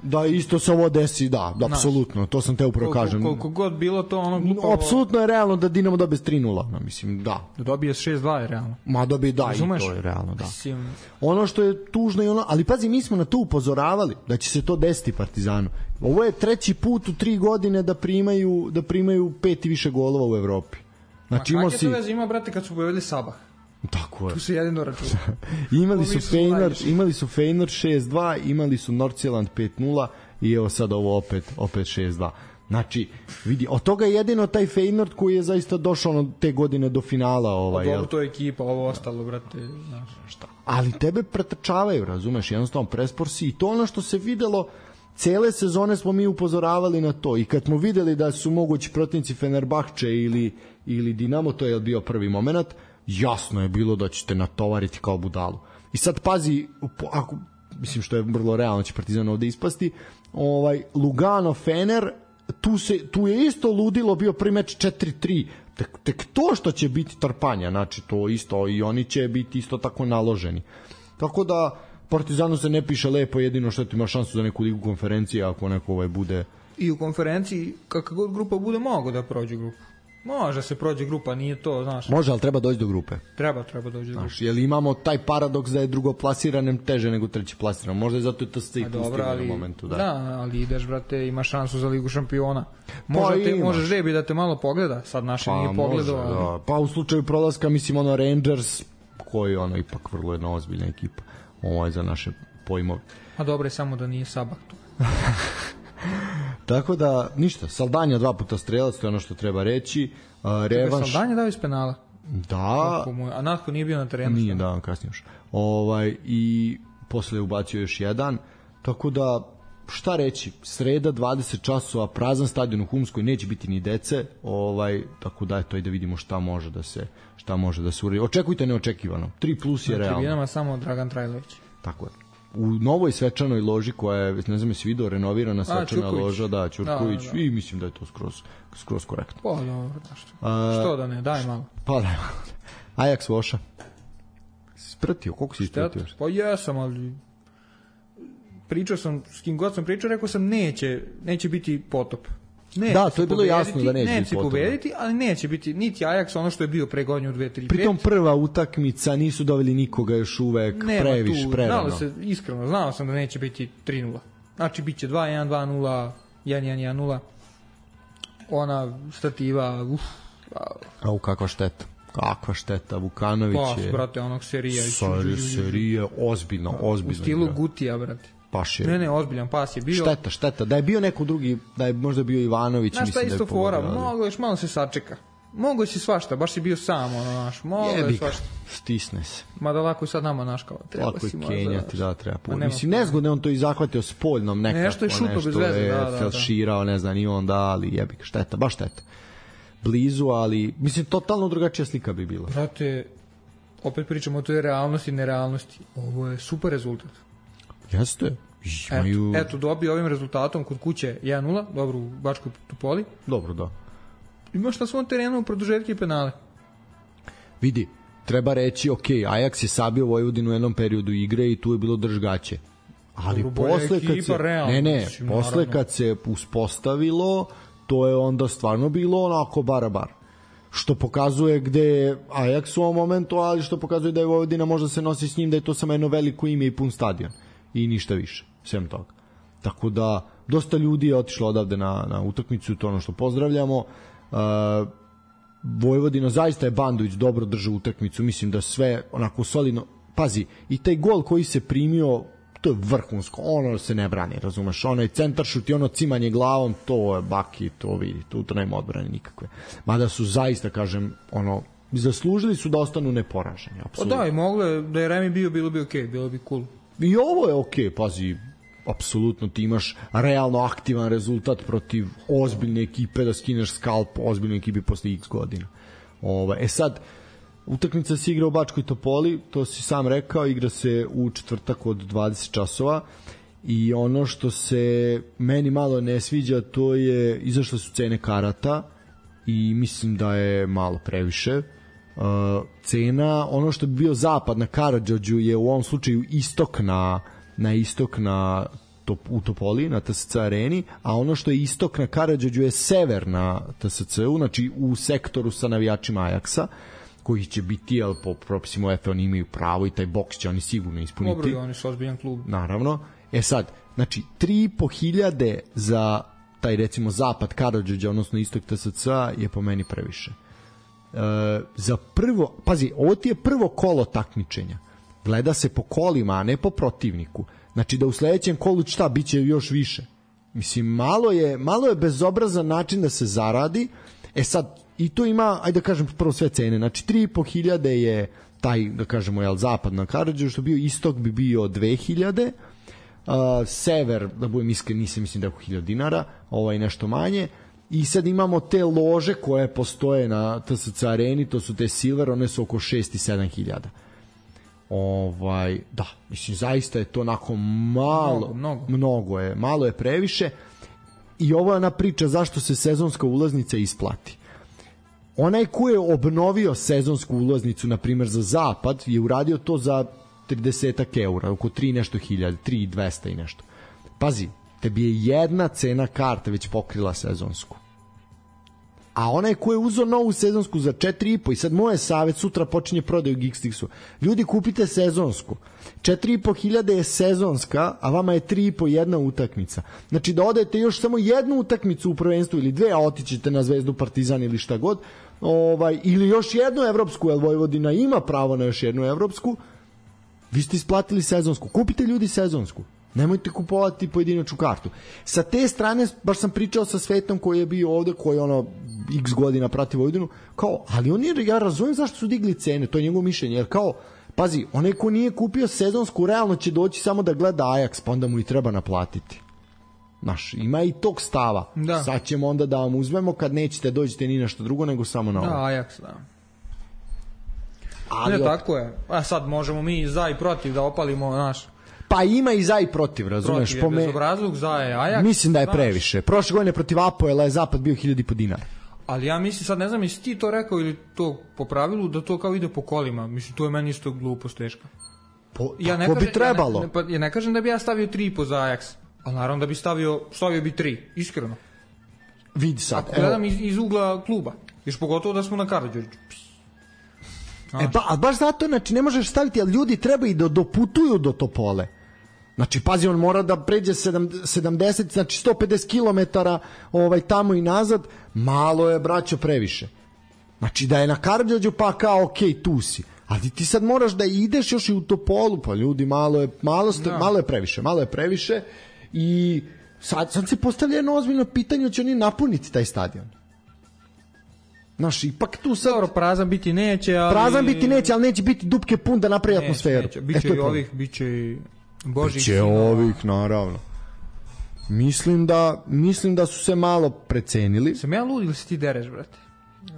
Da, isto se ovo desi, da, apsolutno, to sam te upravo kažem. Koliko god bilo to glupavo... Apsolutno je realno da Dinamo dobije 3-0, mislim, da. Da dobije 6-2 je realno. Ma dobije, da, razumeš? I to je realno, da. Ono što je tužno i ali pazi, mi smo na to upozoravali, da će se to desiti Partizanu. Ovo je treći put u 3 godine da primaju 5 i više golova u Evropi. Znači, kakve to veze ima, brate, kad su povedali Sabah? Tako je. Tu se jedino računa. imali su Feyenoord 6-2, imali su Nordsjælland 5-0 i evo sad ovo opet 6-2. Znači, vidi, od toga je jedino taj Feyenoord koji je zaista došao te godine do finala. Dobro, to je ekipa, ovo ostalo, brate, znaš šta. Ali tebe pretrčavaju, razumeš, jednostavno prespor si, i to ono što se videlo, cele sezone smo mi upozoravali na to, i kad smo videli da su mogući protivnici Fenerbahče ili Dinamo, to je bio prvi moment, jasno je bilo da ćete natovariti kao budalu. I sad pazi, ako, mislim što je vrlo realno će Partizan ovde ispasti, Lugano, Fener, tu je isto ludilo, bio prvi meč 4-3, tek to što će biti trpanja, znači to isto, i oni će biti isto tako naloženi. Tako da Partizanu se ne piše lepo, jedino što ti ima šansu za neku ligu konferencije ako neko bude... I u konferenciji, kakva god grupa bude, mogu da prođe grupu. Može se prođe grupa, nije to, znaš. Može, ali treba doći do grupe. Treba doći do grupe. Jer imamo taj paradoks da je drugoplasiranem teže nego trećeplasiranem. Možda je zato i to se i pustimo na momentu. Da, ali ideš, brate, imaš šansu za Ligu šampiona. Može žrebi da te malo pogleda, sad naše nije pogledao. Da. Pa u slučaju prolaska, mislim, Rangers, koji je ipak vrlo jedna ozbiljna ekipa. Ovo je za naše pojmove. A dobro je samo da nije Sabah tu. Tako da, ništa, Saldanja 2 puta strelac, to je ono što treba reći. Revanš... Saldanja dao iz penala? Da. A Natko nije bio na terenu? Nije, da, kasnije još. I posle je ubacio još jedan. Tako da, šta reći, sreda 20 časova, prazan stadion u Humskoj, neće biti ni dece, tako da eto, da vidimo šta može da se uredi. Očekujte neočekivano. 3+ je realno. Na tribinama samo Dragan Trajlović. Tako je. U novoj svečanoj loži koja je, ne znam, jesi vidio, renovirana svečana loža, da, Ćurković, da. I mislim da je to skroz korektno. Pa dobro, što da ne, daj malo. Pa daj malo. Ajax Voša. Spratio, koliko si ispratio? Pa jesam, ali pričao sam, s kim god sam pričao, rekao sam neće biti potop. Da, to je bilo jasno da neće biti pobediti, ali neće biti niti Ajax ono što je bio pre godinu 2-3-5. Pritom prva utakmica, nisu doveli nikoga još uvek, previše, prerano. Znao sam da neće biti 3-0. Znači, bit će 2-1, 2-0, 1-1, 1-0. Ona stativa, kakva šteta, Vukanović je... Pa, brate, onog serija. Ozbiljno. U stilu Gutija, brate. Ne, ozbiljan pas je bio. Šteta. Da je bio neko drugi, da je možda bio Ivanović, mislim da je isto fora, mogo još malo se sačeka. Mogo si svašta, baš si bio sam, mogo je svašta. Stisne se. Mada lako je sad nama naškao. Lako je kenjati, da, treba. Mislim, nezgodno je on to i zahvatio spoljnom nekako. Nešto je šuto bez veze, da. Felširao, ne znam, i onda, ali jebik, šteta, baš šteta. Blizu, ali, mislim, totalno drugačija slika bi bila. Brate, opet pričamo o toj realnosti i nerealnosti. Ovo je super rezultat. Jeste. Eto, dobio ovim rezultatom kod kuće 1-0, dobro u Bačkoj Topoli. Dobro, da. imaš na svom terenu produžetke i penale. Vidi, treba reći, ok, Ajax je sabio Vojvodinu u jednom periodu igre i tu je bilo držgaće. Ali posle kad se, posle kad se uspostavilo, to je onda stvarno bilo onako bara. Što pokazuje gde je Ajax u ovom momentu, ali što pokazuje da je Vojvodina možda se nosi s njim, da je to samo jedno veliko ime i pun stadion. I ništa više, svem toga. Tako da, dosta ljudi je otišlo odavde na utakmicu, to ono što pozdravljamo. Vojvodina zaista je Bandović dobro držao utakmicu, mislim da sve onako solidno. Pazi, i taj gol koji se primio, to je vrhunsko, ono se ne brani, razumeš, onaj centaršut i ono cimanje glavom, to je baki, to vidi, to nema odbrane nikakve. Mada su zaista, kažem, ono, zaslužili su da ostanu neporaženi, apsolutno. Da, i mogle, da je Remi bio, bilo bi okej, bilo bi cool. I ovo je okej, pazi, apsolutno ti imaš realno aktivan rezultat protiv ozbiljne ekipe, da skineš skalp ozbiljne ekipe posle x godina. Sad, utakmica se igra u Bačkoj Topoli, to si sam rekao, igra se u četvrtak od 20 časova i ono što se meni malo ne sviđa, to je izašle su cene karata i mislim da je malo previše. Cena, ono što bi bio zapad na Karađorđu je u ovom slučaju istok u Topoli, na TSC areni, a ono što je istok na Karađorđu je sever na TSC-u, znači u sektoru sa navijačima Ajaksa, koji će biti, jel, po propisima UEFA oni imaju pravo i taj boks će oni sigurno ispuniti. Dobro, oni su ozbiljan klub. Naravno. Sad, znači, 3.500 za taj, recimo, zapad Karađorđa, odnosno istok TSC-a je po meni previše. Za prvo, pazi, ovo ti je prvo kolo takmičenja. Gleda se po kolima, a ne po protivniku. Znači da u sledećem kolu šta, bit će još više. Mislim, malo je bezobrazan način da se zaradi. Sad, i to ima, ajde da kažem prvo sve cene, znači 3.500 je taj, da kažemo, jel, zapad na Karađorđu, što bio istok bi bio 2.000, sever, da budem iskren, mislim da je oko 1.000 dinara, nešto manje, i sad imamo te lože koje postoje na TSC areni, to su te silver, one su oko 6 i 7.000. Da, mislim, zaista je to onako malo je previše. I ovo je ona priča zašto se sezonska ulaznica isplati. Onaj ko je obnovio sezonsku ulaznicu, na primjer za zapad, je uradio to za 30 eura, oko 3 nešto hiljada, 3.200 i nešto. Pazi, tebi je jedna cena karte već pokrila sezonsku. A onaj ko je uzeo novu sezonsku za 4.500, i sad moje savjet, sutra počinje prodaj u Geekstixu. Ljudi, kupite sezonsku. 4.500 je sezonska, a vama je 3.500 jedna utakmica. Znači da odete još samo jednu utakmicu u prvenstvu ili dve, a otićete na Zvezdu, Partizan ili šta god, ili još jednu evropsku, jer Vojvodina ima pravo na još jednu evropsku, vi ste isplatili sezonsku. Kupite, ljudi, sezonsku. Nemojte kupovati pojedinačnu kartu. Sa te strane, baš sam pričao sa Svetom koji je bio ovde, koji x godina prati Vojvodinu, ali ja razumijem zašto su digli cene, to je njegovo mišljenje, jer pazi, onaj ko nije kupio sezonsku, realno će doći samo da gleda Ajax, pa onda mu i treba naplatiti. Znaš, ima i tog stava. Da. Sad ćemo onda da vam uzmemo kad nećete dođete ni nešto drugo, nego samo na ovo. Da, Ajax, da. Ali tako je. A sad možemo mi za i protiv da opalimo naš. Pa ima i za i protiv, razumeš? Protiv je bezobrazluk, za je Ajax. Mislim da je previše. Prošle godine protiv Apoela je zapad bio 1.500 dinara. Ali ja mislim, sad ne znam, jesi ti to rekao ili to po pravilu, da to kao ide po kolima. Mislim, to je meni isto glupost teška. Tako bi trebalo. Ja ne kažem da bi ja stavio 3.5 za Ajax, ali naravno da bi stavio bi 3, iskreno. Vidi sad. Ako gledam iz ugla kluba, još pogotovo da smo na Karađorđu. A baš zato, znači, ne možeš staviti, ali ljudi treba i da doputuju do Topole. Znači, pazi, on mora da pređe 70, znači 150 kilometara tamo i nazad, malo je, braćo, previše. Znači, da je na Karađorđu, pa kao, okej, tu si. Ali ti sad moraš da ideš još i u Topolu, pa ljudi, malo je previše i sad se postavlja jedno ozbiljno pitanje, će oni napuniti taj stadion. Znaš, ipak tu sad... Dobro, prazan biti neće, ali neće biti dupke pun da napravi atmosferu. Neće. Biće i ovih, biće i Božih. Biće ovih, naravno. Mislim da su se malo precenili. Sam ja lud ili si ti dereš, brate?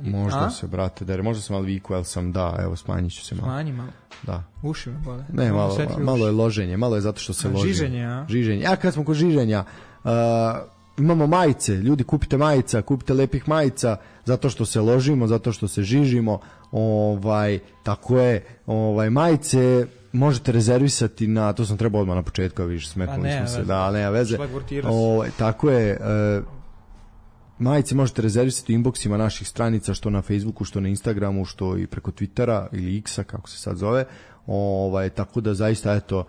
Možda se, brate, dere. Možda sam malo viku, ali sam evo, smanjit ću se malo. Smanji malo. Da. Uši me bole. Ne, malo je loženje, malo je zato što se loži. Žiženje, a? Žiženje. A kad smo kod žiženja, imamo majice, ljudi kupite majica, kupite lepih majica zato što se ložimo, zato što se žižimo, tako je, majice možete rezervisati na, to sam trebao odmah na početku, vidiš, smetnuli smo se, da, nema veze. Tako je, majice možete rezervisati u inboxima naših stranica, što na Facebooku, što na Instagramu, što i preko Twittera ili X-a, kako se sad zove. Tako da zaista, eto,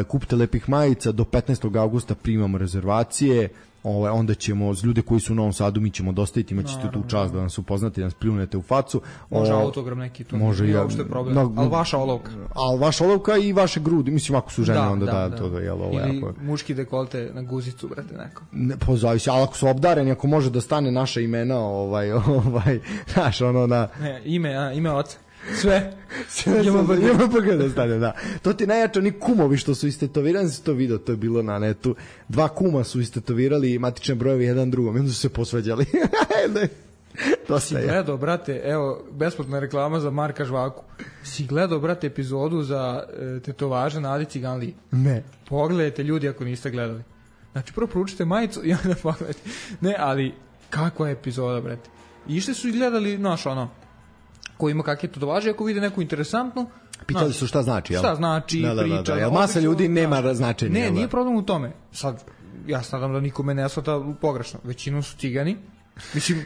kupite lepih majica, do 15. augusta primamo rezervacije, onda ćemo, ljude koji su u Novom Sadu, mi ćemo dostaviti, imaćete tu čast da nas upoznate, da nas pljunete u facu. Može autogram neki, to nije uopšte problem, ali vaša olovka. Ali vaša olovka i vaše grudi, mislim, ako su žene, onda da. Ili muški dekolte na guzicu, brate, neko. Zavisi, ali ako su obdareni, ako može da stane naša imena, znaš, na... Ime oca. Sve JMBG da stane, da. To ti najjače, oni kumovi što su istetovirani, si to video, to je bilo na netu. 2 kuma su istetovirali matične brojevi jedan drugom, i onda su se posveđali. Si gledao, brate, evo, besplatna reklama za Marka Žvaku. Si gledao, brate, epizodu za tetovaže na Adi Ciganliji? Ne. Pogledajte, ljudi, ako niste gledali. Znači, prvo proučite majicu i onda pogledajte. Ne, ali, kakva je epizoda, brate. Išli su i gledali, ko ima kakve tetovaže, ako vide neku interesantnu, pitali su šta znači, jel? Šta znači, pričali. Da. Masa ljudi nema značenja. Ne, nije problem u tome. Sad, ja nadam da nikome ne shvata pogrešno. Većinom su Cigani. Mislim,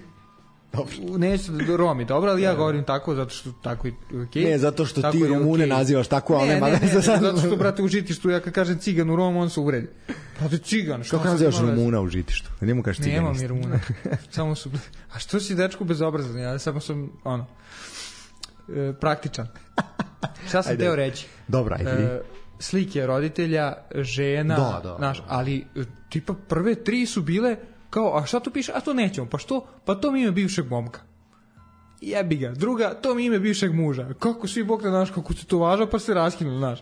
neću da Romi, dobro, ali ja govorim tako, zato što tako i okej. Ne, zato što ti Rumune nazivaš tako, ali nema veze. Zato što, brate, u Žitištu, ja kad kažem Cigan u Romu, on se uvredi. Brate, Cigan, šta? Kako nazivaš Rumuna u Žitištu? Njemu kažeš Ciganist. Nema mi Rumuna. Samo su... A što si dečku bezobrazan? Ja samo sam, praktičan. Šta sam teo reći? Dobra, slike roditelja, žena, ali tipa prve 3 su bile kao, a šta tu piše? A to nećemo, pa što? Pa to mi ime bivšeg momka. Jebi ga. Druga, to mi ime bivšeg muža. Kako svi bog da kako se to važa, pa se raskinuli,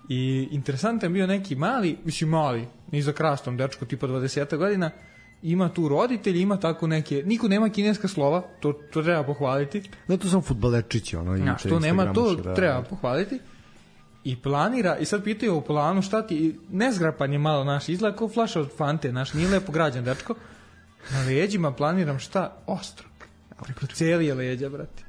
I interesantan bio neki mali, ni za krastom dečko, tipa 20 godina, ima tu roditelji, ima tako neke, niko nema kineska slova, to treba pohvaliti. Ne, to sam fudbalerčići, što nema, to treba pohvaliti. I planira, i sad pitaju u planu šta ti, nezgrapan je malo naš izgled, kao flaša od Fante, nije lepo građan dečko. Na leđima planiram šta? Ostro. Preko cijelije leđa, brate.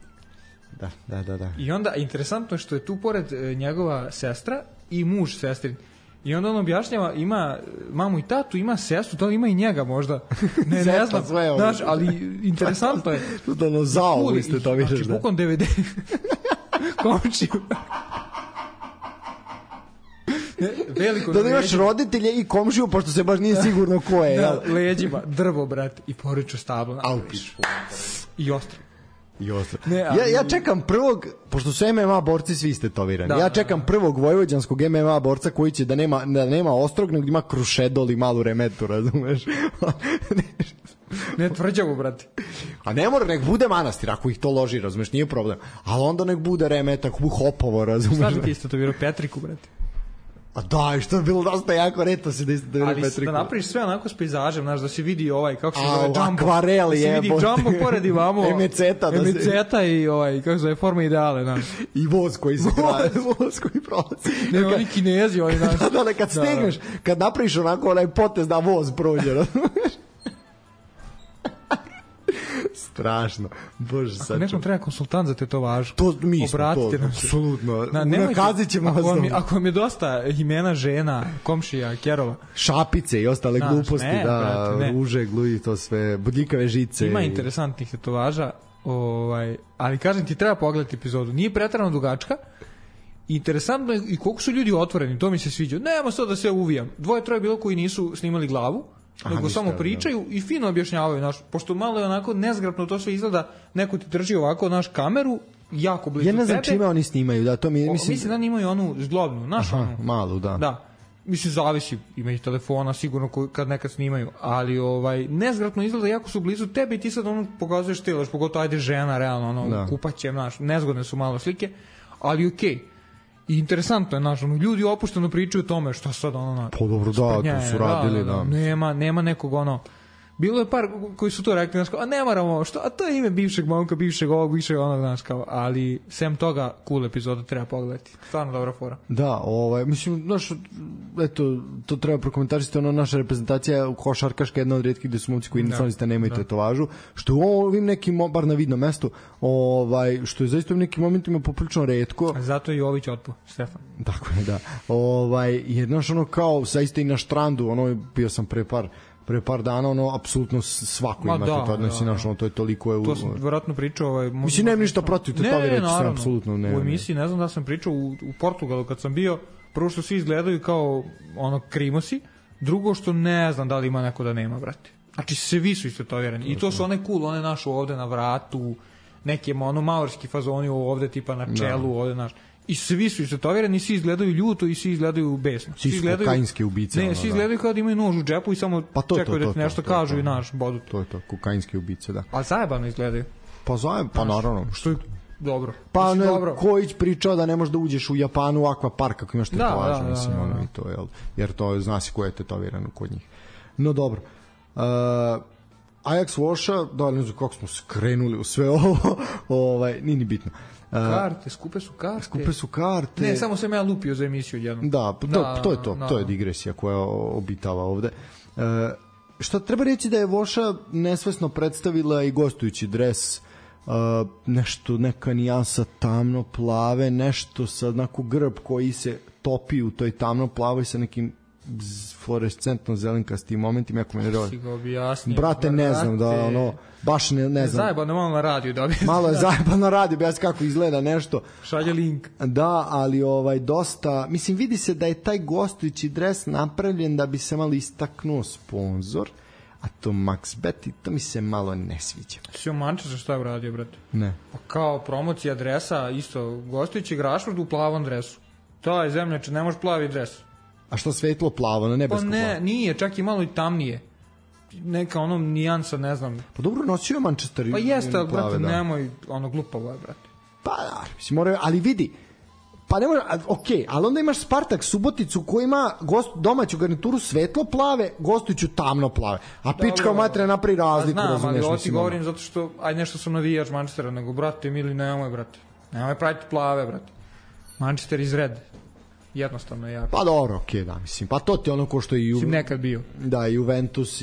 Da. I onda, interesantno je što je tu pored njegova sestra i muž sestrin. I onda on objašnjava, ima mamu i tatu, ima sestru, to ima i njega možda. Ne znam, znaš, ali interesantno je. To zao, vi ste to vidiš, da. Znači, bukom DVD. Komčiju. Veliko da imaš roditelje i komšiju, pošto se baš nije sigurno ko je. Da, leđima, drvo, brate, i poriču stablo. I ostro. Ja čekam prvog, pošto su MMA borci svi istetovirani, ja čekam prvog vojvođanskog MMA borca koji će da nema ostrog, nego ima krušedol i malu remetu, razumeš? Ne, tvrđavu, brate. A ne mora, nek bude manastir, ako ih to loži, razumeš, nije problem. Ali onda nek bude remeta, ako bude hopovo, razumeš? Šta bi ti istetovirao? Petriku, brate. A da, što je bilo dosta jako reto se da istetovirao Petriku. Ali da napraviš sve onako s pejzažem, znaš, da se vidi kako se zove Jumbo. Akvarel je. Da se vidi Jumbo pored imamo. Emeceta i kako se zove forma ideale, znaš. I voz koji se kraje. Voz koji prolazi. Ne, oni Kinezi, znaš. Da, kad stigneš, kad napraviš onako onaj potez da voz prođe, razumeš? Strašno. Bože, sad. Ako nekom treba konsultant za tetovažu, to mi smo, obratite to, nam se. Apsolutno. Nakazit ćemo vas. Ako vam je dosta imena žena, komšija, kerova. Šapice i ostale gluposti, ruže, gluji, to sve, bodljikave žice. Ima interesantnih tetovaža, ali kažem ti, treba pogledati epizodu. Nije preterano dugačka. Interesantno je i koliko su ljudi otvoreni, to mi se sviđa. Nema sad da se uvijam. 2-3 bilo koji nisu snimali glavu, nego samo pričaju i fino objašnjavaju, pošto malo je onako nezgrapno to sve izgleda, neko ti drži ovako kameru jako blizu tebe. Ja ne znam čime oni snimaju, da, to mislim da imaju onu zglobnu, malu, da. Da. Mislim, zavisi, ima i telefona sigurno kad nekad snimaju, ali nezgrapno izgleda, jako su blizu tebe i ti sad pokazuješ telaš, pogotovo ajde žena, realno, kupaće, nezgodne su malo slike, ali okej. I interesantno je, ljudi opušteno pričaju o tome šta sad, Pa dobro, da, to su radili, da. Nema nekog, Bilo je par koji su to rekli, znaš, kao, a ne moramo, što, a to je ime bivšeg momka, bivšeg ovog, bivšeg onog, znaš, kao, ali sem toga, cool epizoda treba pogledati. Stvarno dobra fora. Da, mislim, znaš, eto, to treba prokomentarisati, naša reprezentacija košarkaška je jedna od rijetkih gde su momci koji nacionalista nemaju tetovažu, što u ovim nekim, bar na vidnom mestu, što je zaista u nekim momentima poprilično retko. Zato je Jović otpo, Stefan. Tako je, da. Jer, znaš, kao, zaista i na štrandu, bio sam pre par dana, apsolutno svako ima tetoviranje, to je toliko... To sam vjerojatno pričao... Mislim, nemam ništa protiv tetoviranja, sam apsolutno ne. U emisiji, ne znam da sam pričao u Portugalu kad sam bio, prvo što svi izgledaju kao krimosi, drugo što ne znam da li ima neko da nema, brate. Znači, svi su istetovirani. I to su one cool, one naše ovde na vratu, neke maorski fazoni ovde, tipa na čelu, ovde naš... I svi su istetovirani, svi izgledaju ljuto i svi izgledaju besno. Svi su kokainske ubice. Ne, svi izgledaju kao da imaju nož u džepu i samo čekaju da ti nešto kažu i naš bodu. To je to, kokainske ubice, da. Ali zajebano izgledaju. Pa naravno. Što je dobro. Pa Kojić pričao da ne možeš da uđeš u Japanu u akvapark ako imaš tetovažu, mislim, i to, jer to zna se ko je tetoviran kod njih. No dobro. Ajax Voša, da ne znam kako smo skrenuli u sve ovo, nije ni bitno. Karte, skupe su karte. Ne, samo sam ja lupio za emisiju jednom. Da, to je to. To je digresija koja obitava ovde. Što treba reći da je Voša nesvesno predstavila i gostujući dres, nešto, neka nijansa tamno plave, nešto sa onako grb koji se topi u toj tamno plavoj sa nekim fluorescentno zelenkastim momentima, ako me ne rodi. Brate, ne znam da baš ne znam. Zajebano malo na radiju da objasnim. Malo je zajebano na radiju, objasni kako izgleda nešto. Šalje link. Da, ali dosta, mislim, vidi se da je taj gostujući dres napravljen da bi se malo istaknuo sponsor, a to MaxBet i to mi se malo ne sviđa. Si u Manchesteru šta je uradio, brate? Ne. Kao promocija dresa, isto, gostujući Rashford u plavom dresu. To je zemljače, ne može plavi dres. A što svetlo plavo, na nebesko plavo? Pa ne, nije, čak i malo i tamnije. Neka nijansa, ne znam. Pa dobro, nosio je Manchester pa jeste, ali brate, nemoj glupavo je, brate. Pa da, mislim, moraju, ali vidi, pa ne može, okej, ali onda imaš Spartak Suboticu koji ima domaću garnituru svetlo plave, gostujuću tamno plave. A pička u materija napravi razliku, razumeš. Znam, ali ovo ti govorim zato što, nešto sam navijač Manchestera, nego, brate, mili, nemoj, brate. Nemoj praviti plave, brate. Manchester is red. Jednostavno je jako. Pa dobro, okej, da, mislim. Pa to ti ono ko što i nekad bio. Da, Juventus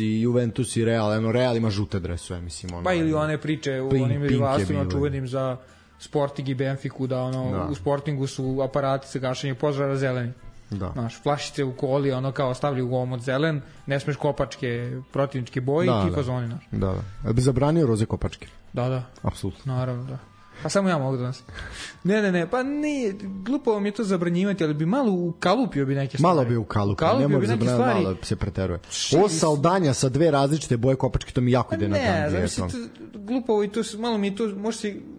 i Real, Real ima žute dresove, mislim. Pa ili one priče u onim rivalstvima čuvenim za Sporting i Benfiku, da u Sportingu su aparati za gašenje požara zeleni. Da. Znaš, flašice u koli, kao stavljaju u omot zelen, ne smeš kopačke, protivničke boje i ti fazoni, znaš. Da. Bi zabranio roze kopačke? Da. Apsolutno. Naravno, da. Pa samo ja mogu danas. Ne, pa nije, glupo mi je to zabranjivati, ali bi malo ukalupio bi neke stvari. Malo bi ukalupio, ne može zabranjati, malo se preteruje. Ovo saldanja sa dve različite boje kopačke, to mi jako ide na dan. Ne, znam, glupo i to, malo mi je to,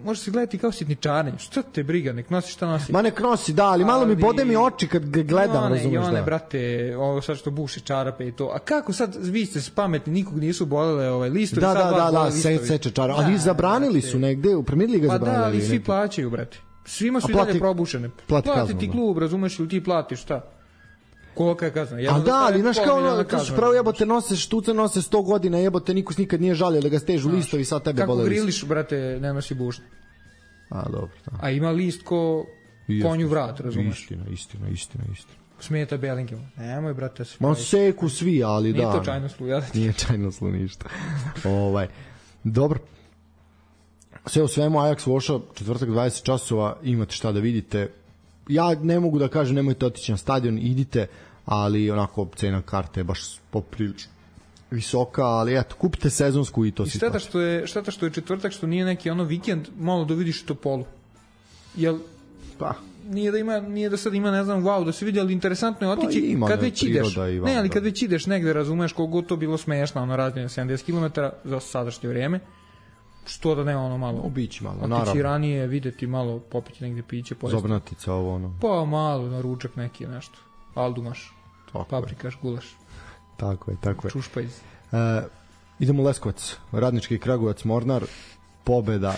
može se gledati kao sitničarenje. Što te briga, nek nosi šta nosi. Ma nek nosi, da, ali malo mi bode mi oči kad ga gledam, razumiješ da. I one, brate, ovo sad što buši čarape i to. A kako sad, vi ste pametni, nikog nisu bolele listovi. Da, seče čarape. Ali zabranili su negde, u Premier Liga zabranili. Da, ali svi plaćaju, brate. Svima su i dalje probušene. Plati ti klub, razumeš, ili ti platiš, šta? Kolika je kazna? A da, ali znaš kao to su pravo jebote nose štuce, nose 100 godina, jebote, niko nikad nije žalio da ga stežu listovi, sad tebe bole. Kako griliš, brate, ne nosi bušne. A, dobro. A ima list ko konju vrat, razumeš? Istina. Smeta Bellingham. Nemoj, brate, se. Ma seku svi, ali da. Nije to čajnoslu, ja da ti. Nije čajnoslu ništa. Dobro. Sve u svemu, Ajax Voša, četvrtak 20 časova, imate šta da vidite. Ja ne mogu da kažem, nemojte otići na stadion, idite, ali onako cena karte je baš poprilično visoka, ali eto, kupite sezonsku i to si to. I šteta što je četvrtak, što nije neki vikend, malo da vidiš Topolu. Jel, pa, nije da sad ima, ne znam, wow, da se vidi, ali interesantno je otići kad već ideš. Ne, ali kad već ideš negde, razumeš koliko to bilo smešno, razljenje 70 km za sadašnje vrijeme. Što da nema malo. Obići malo, naravno. Otići ranije, videti malo, popiti negde piće. Zobnatica ovo, Pa malo, na ručak neki nešto. Aldumaš, paprikaš, gulaš. Tako je. Čušpajz. Idemo u Leskovac, Radnički Kragujevac, Mornar, pobeda.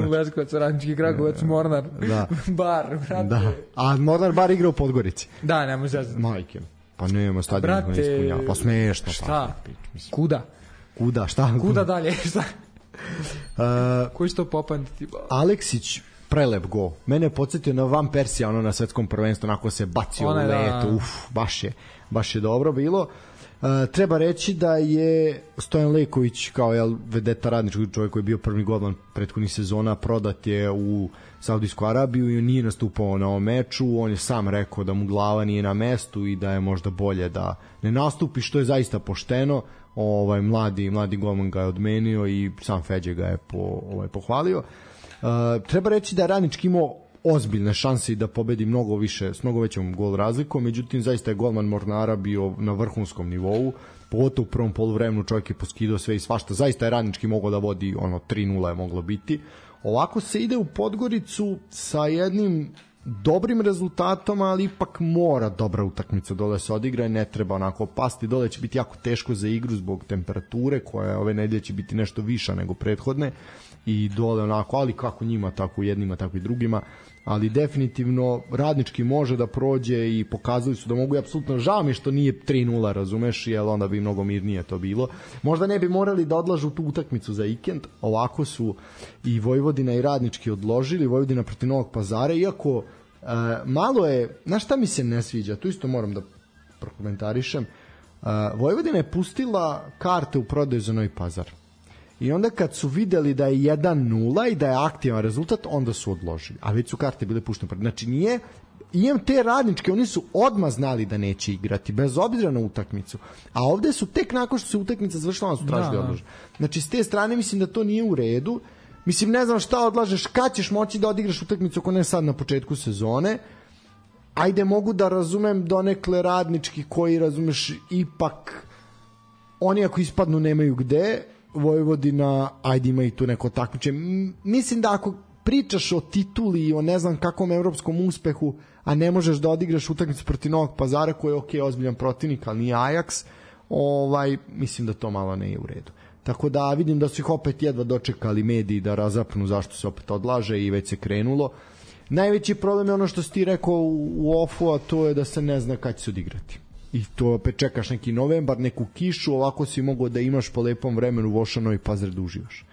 Leskovac, Radnički Kragujevac, Mornar. Da. Bar, brate. Da. A Mornar bar igra u Podgorici. Da, nemoj zezati. Majke. Pa nema stadion ne ispunjava. Pa smešno. Šta? Kuda? Kuda, šta? Kuda dalje, šta? Koji će to popamtiti? Aleksić, prelep go. Mene je podsjetio na Van Persija, ono na svetskom prvenstvu, onako se bacio u letu, baš je dobro bilo. Treba reći da je Stojan Leković kao vedeta Radničkog, čovjek koji je bio prvi golman prethodnih sezona, prodat je u Saudijsku Arabiju i nije nastupao na ovom meču. On je sam rekao da mu glava nije na mestu i da je možda bolje da ne nastupi, što je zaista pošteno. Mladi golman ga je odmenio i sam Feđe ga je pohvalio. Treba reći da je Radnički imao ozbiljne šanse i da pobedi mnogo više, s mnogo većom gol razlikom, međutim zaista je golman Mornara bio na vrhunskom nivou, pogotovo u prvom poluvremenu čovjek je poskidao sve i svašta, zaista je Radnički mogao da vodi 3-0 je moglo biti. Ovako se ide u Podgoricu sa jednim dobrim rezultatom, ali ipak mora dobra utakmica dole se odigra i ne treba onako pasti, dole će biti jako teško za igru zbog temperature koja ove nedelje će biti nešto viša nego prethodne i dole onako, ali kako njima, tako jednima, tako i drugima, ali definitivno Radnički može da prođe i pokazali su da mogu i apsolutno žao mi što nije 3-0, razumeš, jer onda bi mnogo mirnije to bilo. Možda ne bi morali da odlažu tu utakmicu za vikend, ovako su i Vojvodina i Radnički odložili, Vojvodina protiv Novog Pazara, iako malo je, znaš šta mi se ne sviđa, tu isto moram da prokomentarišem, Vojvodina je pustila karte u prodaju za Novi Pazar. I onda kad su videli da je 1-0 i da je aktivan rezultat, onda su odložili. A već su karte bile puštene. Znači nije, imam te Radničke, oni su odmah znali da neće igrati, bez obzira na utakmicu. A ovde su tek nakon što se utakmica završila, onda su tražili odložen. Znači s te strane mislim da to nije u redu. Mislim, ne znam šta odlažeš, kad ćeš moći da odigraš utakmicu ako ne sad na početku sezone. Ajde, mogu da razumem donekle Radnički koji, razumeš, ipak oni ako ispadnu nemaju gde. Vojvodina, ajde ima i tu neko takmiče. Mislim da ako pričaš o tituli i o ne znam kakvom evropskom uspehu, a ne možeš da odigraš utakmicu protiv Novog Pazara koji je ozbiljan protivnik, ali nije Ajax, mislim da to malo ne je u redu. Tako da vidim da su ih opet jedva dočekali mediji da razapnu zašto se opet odlaže i već se krenulo. Najveći problem je ono što si ti rekao u ofu, a to je da se ne zna kad će se odigrati. I to opet čekaš neki novembar, neku kišu, ovako si mogao da imaš po lepom vremenu Vošano i Pazar da uživaš.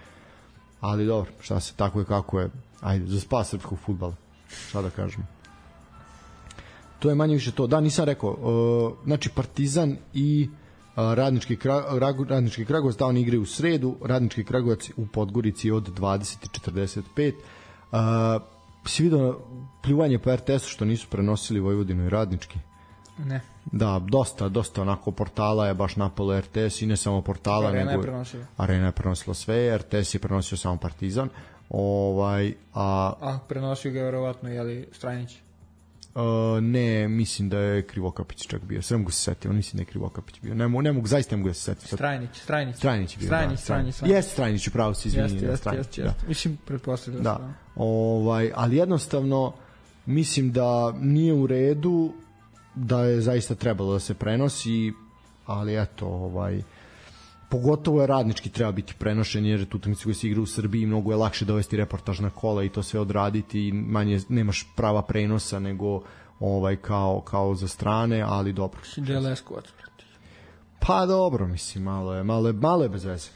Ali dobro, šta se, tako je kako je. Ajde, za spas srpskog fudbala. Šta da kažemo. To je manje više to. Da, nisam rekao. Znači, Partizan i Radnički Kragujevac, da oni igraju u sredu, Radnički Kragujevac u Podgorici od 20:45. Si vidio pljuvanje po RTS-u što nisu prenosili Vojvodinu i Radnički? Ne. Da, dosta onako portala je baš napalo RTS i ne samo portala, Arena nego je prenosila. Arena je prenosila sve, RTS je prenosio samo Partizan. Prenosio ga verovatno Strajnić. Ne, mislim da je Krivokapić čak bio. Sve mogu se setiti, mislim da je Krivokapić bio. Ne mogu zaista da se setiti. Strajnić je bio. Strajnić. Jeste Strajnić, upravo se izvinjam. Jeste. Mislim, pretpostavljam da. Ali jednostavno mislim da nije u redu, da je zaista trebalo da se prenosi, ali eto, pogotovo je Radnički treba biti prenošen, jer tu utakmice koje se igra u Srbiji mnogo je lakše dovesti reportaž na kola i to sve odraditi i manje nemaš prava prenosa nego kao za strane, ali dobro. Pa dobro, mislim, malo je bez veze.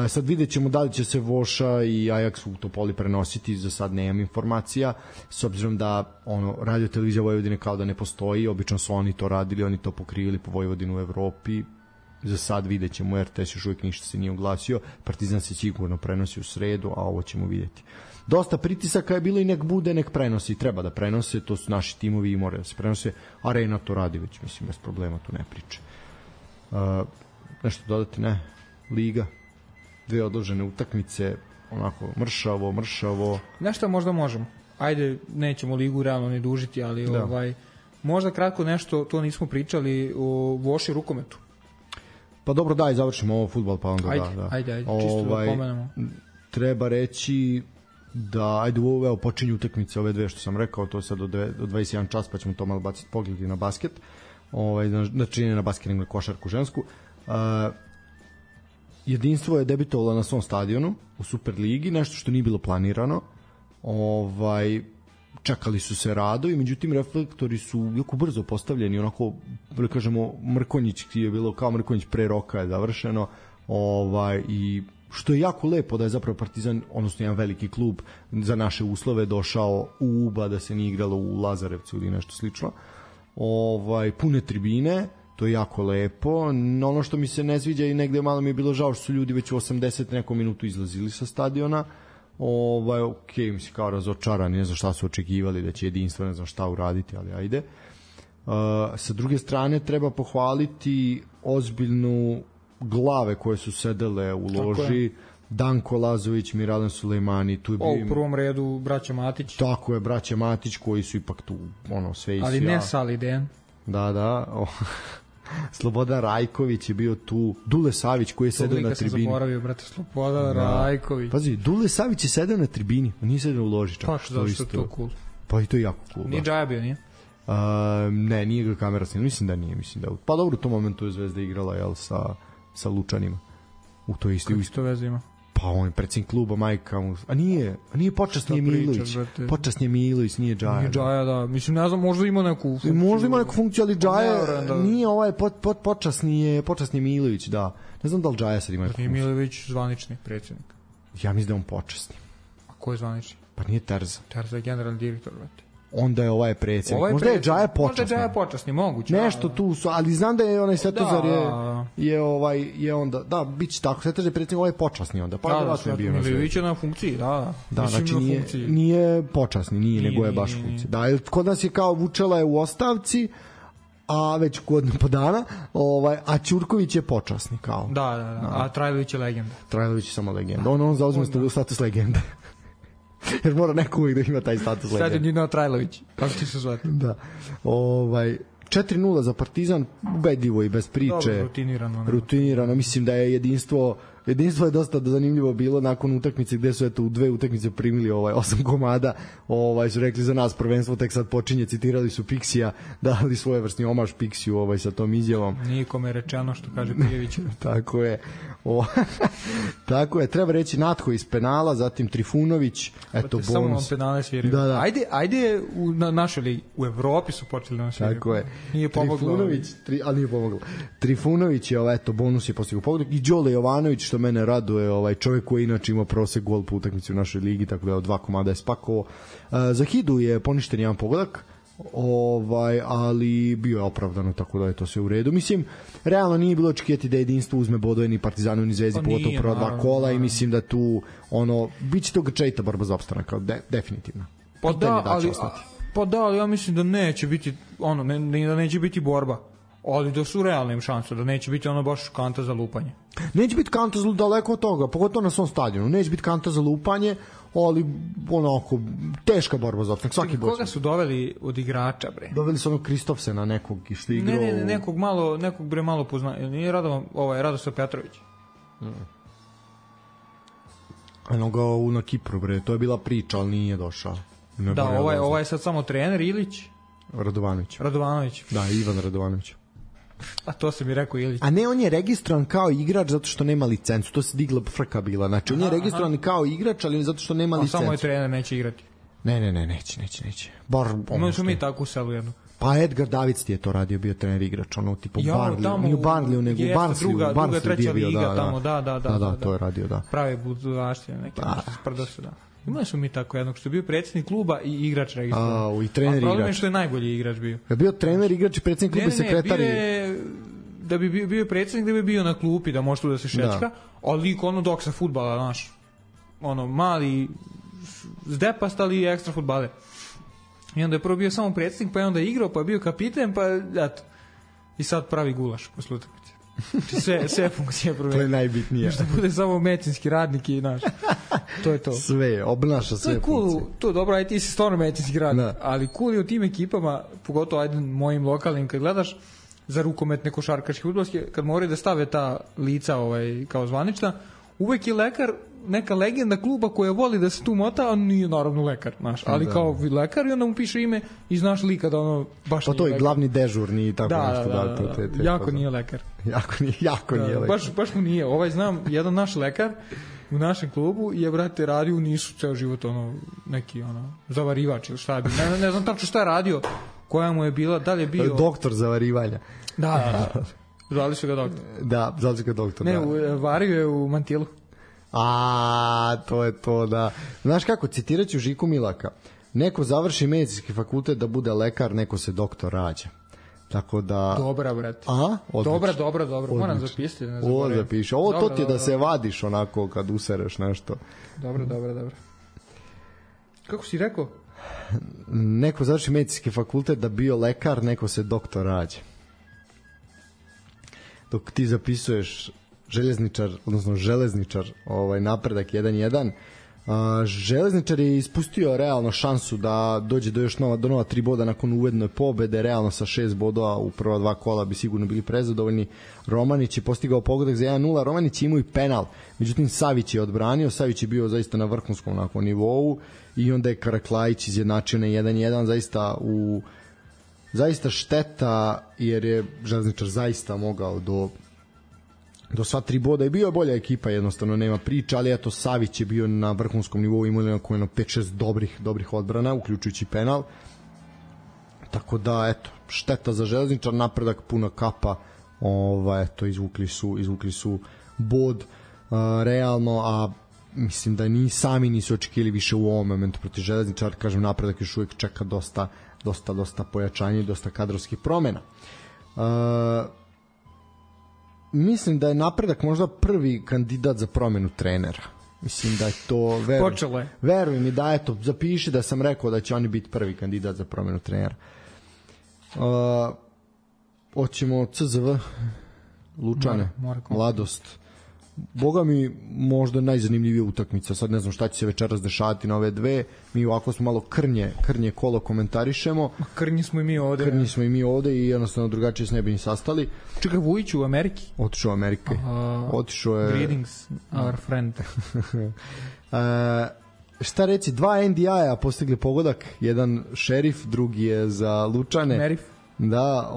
Sad vidjet ćemo da li će se Voša i Ajax u Topoli prenositi, za sad nemam informacija, s obzirom da radio televizija Vojvodine kao da ne postoji, obično su oni to radili, oni to pokrivili po Vojvodinu u Evropi, za sad vidjet ćemo, RTS još uvijek ništa se nije oglasio, Partizan se sigurno prenosi u sredu, a ovo ćemo vidjeti. Dosta pritisaka je bilo i nek bude, nek prenosi, treba da prenose, to su naši timovi i moraju da se prenose, Arena to radi već, mislim, bez problema, tu ne priče. Nešto dodati, ne? Liga? 2 odložene utakmice, onako mršavo. Nešto možda možemo. Ajde, nećemo ligu realno ne dužiti, ali možda kratko nešto, to nismo pričali o Voši rukometu. Pa dobro, daj, završimo ovo fudbal, pa onda Ajde, čisto da pomenemo. Treba reći da, evo počinju utakmice ove dve što sam rekao, to je sad od 21 čas, pa ćemo to malo baciti pogledati na basket. Znači ne na basket, nego na košarku žensku. Jedinstvo je debitovalo na svom stadionu u Superligi, nešto što nije bilo planirano. Čekali su se radovi, međutim reflektori su jako brzo postavljeni, onako, da kažemo, Mrkonjić je bilo kao Mrkonjić pre roka je završeno, I što je jako lepo da je zapravo Partizan, odnosno jedan veliki klub za naše uslove došao u Uba, da se nije igralo u Lazarevcu ili nešto slično. Pune tribine, to je jako lepo. Ono što mi se ne sviđa i negde malo mi je bilo žao što su ljudi već u 80 nekom minutu izlazili sa stadiona. Mislim, kao razočarani, ne znam šta su očekivali, da će jedinstvo, ne znam šta uraditi, ali ajde. Sa druge strane treba pohvaliti ozbiljnu glave koje su sedele u loži, Danko Lazović, Miralem Sulejmani, tu je bio u prvom redu braća Matić. Tako je, braća Matić koji su ipak tu sve i sve. Ali ne Saliden. Da. Slobodan Rajković je bio tu, Dule Savić koji je sedeo na tribini. Sam zaboravio, brate, Slobodan Rajković. Pazi, Dule Savić je sedeo na tribini, on nije sedeo u loži čak. Pa što je to cool. Pa i to je jako cool. Nije Džaja bio, nije? Ne, nije ga kamera snimala, mislim da nije. Pa dobro, u tom momentu je Zvezda igrala sa Lučanima. U to isti. Kako to veze ima? Pa on je predsjednik kluba, majka mu. A nije počasni je Milović. Počasni je Milović, nije Džaja. Nije Džaja, da. Mislim, ne znam, možda ima neku funkciju. Možda ima neku funkciju, ali Džaja nije počasni je Milović, da. Ne znam da li Džaja sad ima neku funkciju. Nije Milović zvanični predsjednik. Ja mislim da je on počasni. A ko je zvanični? Pa nije Terza. Terza je generalni direktor, brate. Onda je predsjednik. Možda je Džaja počasni. Možda je Džaja počasni, moguće. Nešto tu su, ali znam da je onaj Svetozar je onda, da, biće tako, Svetozar je predsjednik, počasni onda. Pa da, Milivić je na funkciji, da. Da, znači nije počasni, nego je baš funkcija. Da, kod nas je kao Vučela je u ostavci, a već godinu po dana, a Ćurković je počasni kao. Da, a Trajlović je legenda. Trajlović je samo legenda. On zauzme status legende. Jer mora neko uvijek da ima taj status legenda. Sad je Nino Trajlović, kako ti se zvati? Da. 4-0 za Partizan, ubedljivo i bez priče. Dobro, rutinirano. Mislim da je jedinstvo je dosta zanimljivo bilo nakon utakmice gde su u dve utakmice primili 8 komada. Su rekli za nas prvenstvo tek sad počinje, citirali su Pixija, dali svojevrsni omaž Pixiju sa tom izjavom. Nikome rečeno što kaže Pijević. Tako je. Tako je, treba reći Natho iz penala, zatim Trifunović, bonus. Samo penale sviraju. Da. Ajde na našoj ligi, u Evropi su počeli da sviraju. Tako je. Nije pomoglo. Ali nije pomoglo. Trifunović je bonus je postigao pogodak i Đole Jovanović, što mene raduje, čovjek koji inače ima prosek gol po utakmici u našoj ligi, tako da 2 komada je spakovao. Za Hidu je poništen jedan pogodak, ali bio je opravdano, tako da je to sve u redu. Mislim, realno nije bilo očekivati da jedinstvo uzme bodove ni Partizanu ni Zvezdi, pogotovo prva 2 kola i mislim da tu biće to grčajita borba za opstanak, definitivno. Pa da, ali ja mislim da neće biti da neće biti borba. Ali da su realne šanse, da neće biti baš kanta za lupanje. Neće biti kanta za daleko od toga, pogotovo na svom stadionu. Neće biti kanta za lupanje, ali teška borba za opstanak. Svaki borac. Koga su doveli od igrača, bre? Doveli su Kristofsena nekog što je igrao. Ne, nekog malo poznaje. Nije Radoslav Petrović. Eno na Kipru, bre. To je bila priča, ali nije došao. Da, ovaj je sad samo trener Ilić. Radovanović. Da, Ivan Radovanović. A to se mi rekao Ilić. A ne, on je registrovan kao igrač zato što nema licencu. To se digla frka bila. Znači, on je registrovan kao igrač, ali zato što nema licencu. A samo je trener, neće igrati. Ne, neće. Imali smo mi tako u selu jednu. Pa Edgar Davids ti je to radio, bio trener igrač, tipu Barnley, nije u Barnleyu, nego u Barnsley. Druga, treća liga tamo, da. To je radio, da. Pravi budućaštine, neki sprdo se, da. Imali smo mi tako jednog što je bio predsjednik kluba i igrač registrovan. I trener igrač. A problem je što je najbolji igrač bio. Je bio trener igrač i predsjednik kluba i sekretar. Da bi bio predsjednik, da bi bio na klupi, da može tu da se šečka, ali lik dok sa fudbala, znaš, mali zdepast, ali ekstra fudbaler. I onda je prvo bio samo predsjednik, pa je onda igrao, pa je bio kapiten, pa eto. I sad pravi gulaš posle utakmice. Sve funkcije promenio. To je najbitnije. Što bude samo medicinski radnik i naš. To je to. Sve, obnaša sve funkcije. To je cool, to je dobro, aj ti si stvarno medicinski radnik. Ali cool je u tim ekipama, pogotovo ajde mojim lokalnim kad gledaš, za rukometne košarkaške fudbalske, kad moraju da stave ta lica kao zvanična, uvek je lekar neka legenda kluba koja voli da se tu mota, a nije naravno lekar, znaš, ali kao lekar i onda mu piše ime i znaš lika da baš nije lekar. Pa to je glavni dežurni i tako nešto. Da. Jako nije lekar. Jako nije lekar. Baš mu nije. Znam, jedan naš lekar u našem klubu je, brate, radio u Nišu ceo život, neki, zavarivač ili šta je bilo. Ne znam tačno šta je radio, koja mu je bila, da li je bio... Doktor zavarivanja. Da. Zvali su ga doktor. Da, zvali su ga doktor. Ne, vario je u mantilu. To je to, da. Znaš kako, citiraću Žiku Milaka. Neko završi medicinski fakultet da bude lekar, neko se doktor rađa. Tako da... Dobra, brate. Dobra. Moram zapisati. Ovo zapiši. Ovo to ti je da se vadiš onako kad usereš nešto. Dobro. Kako si rekao? Neko završi medicinski fakultet da bio lekar, neko se doktor rađa. Dok ti zapisuješ železničar napredak 1-1, Železničar je ispustio realno šansu da dođe do još nova 3 boda nakon uvedne pobede, realno sa 6 bodova u prva 2 kola bi sigurno bili prezadovoljni. Romanić je postigao pogodak za 1-0, Romanić imao i penal, međutim Savić je odbranio, Savić je bio zaista na vrhunskom nakon nivou i onda je Karaklajić izjednačio na 1-1, zaista šteta jer je Železničar zaista mogao do sva 3 boda i bio je bolja ekipa, jednostavno nema priča, ali eto Savić je bio na vrhunskom nivou, imali na 5-6 dobrih odbrana, uključujući penal, tako da eto, šteta za Železničar, napredak puna kapa, eto, izvukli su bod realno, a mislim da ni sami nisu očekivali više u ovom momentu protiv Železničar, kažem, napredak još uvijek čeka dosta pojačanja i dosta kadrovskih promena. Mislim da je napredak možda prvi kandidat za promenu trenera. Mislim da je to... Počelo je. Veruj mi da, eto, zapiši da sam rekao da će oni biti prvi kandidat za promenu trenera. Hoćemo CZV, Lučane, Mladost. Boga mi možda najzanimljivija utakmica. Sad ne znam šta će se večeras dešavati na ove dve. Mi ovako smo malo krnje kolo komentarišemo. Krnji smo i mi ovde. I jednostavno drugačije se ne bi ni sastali. Čekaj, Vujić u Ameriki? Otišao u Amerike. Otišao je... Greetings, our friend. Šta reći, 2 NDI-a postigli pogodak. Jedan Šerif, drugi je za Lučane. Merif. Da,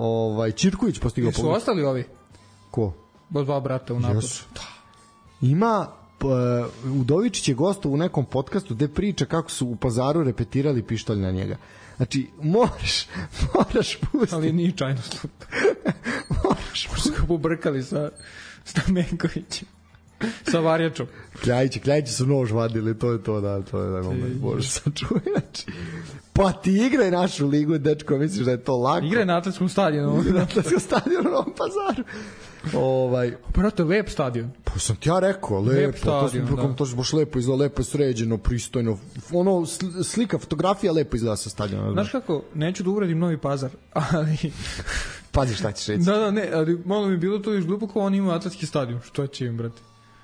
Čirković postigao pogodak. Su ostali ovi? Ko? Dva brata u napadu. Ima Udovičić je gostov u nekom podcastu gde priča kako su u Pazaru repetirali pištolj na njega. Znači, moraš pustiti. Ali nije čajno slup. Moraš ga pobrkali sa Stamenkovićem. Sa Varjačom. Kljajići su nož vadili, to je da moment. Možeš sad čuj. Znači, pa ti igraj našu ligu, dečko, misliš da je to lako? Igraj na atletskom stadionu. Na atletskom stadionu u Novom Pazaru. Brate, lep stadion. Pa sam ti ja rekao, lepo, to se baš lepo izgleda, lepo je sređeno, pristojno, ono, slika, fotografija lepo izgleda sa stadiona. Znaš kako, neću da uradim Novi Pazar, ali... Pazi šta ćeš reći. Da, ne, ali malo mi bilo to još glupo kao oni imaju atletski stadion, što će im, brate?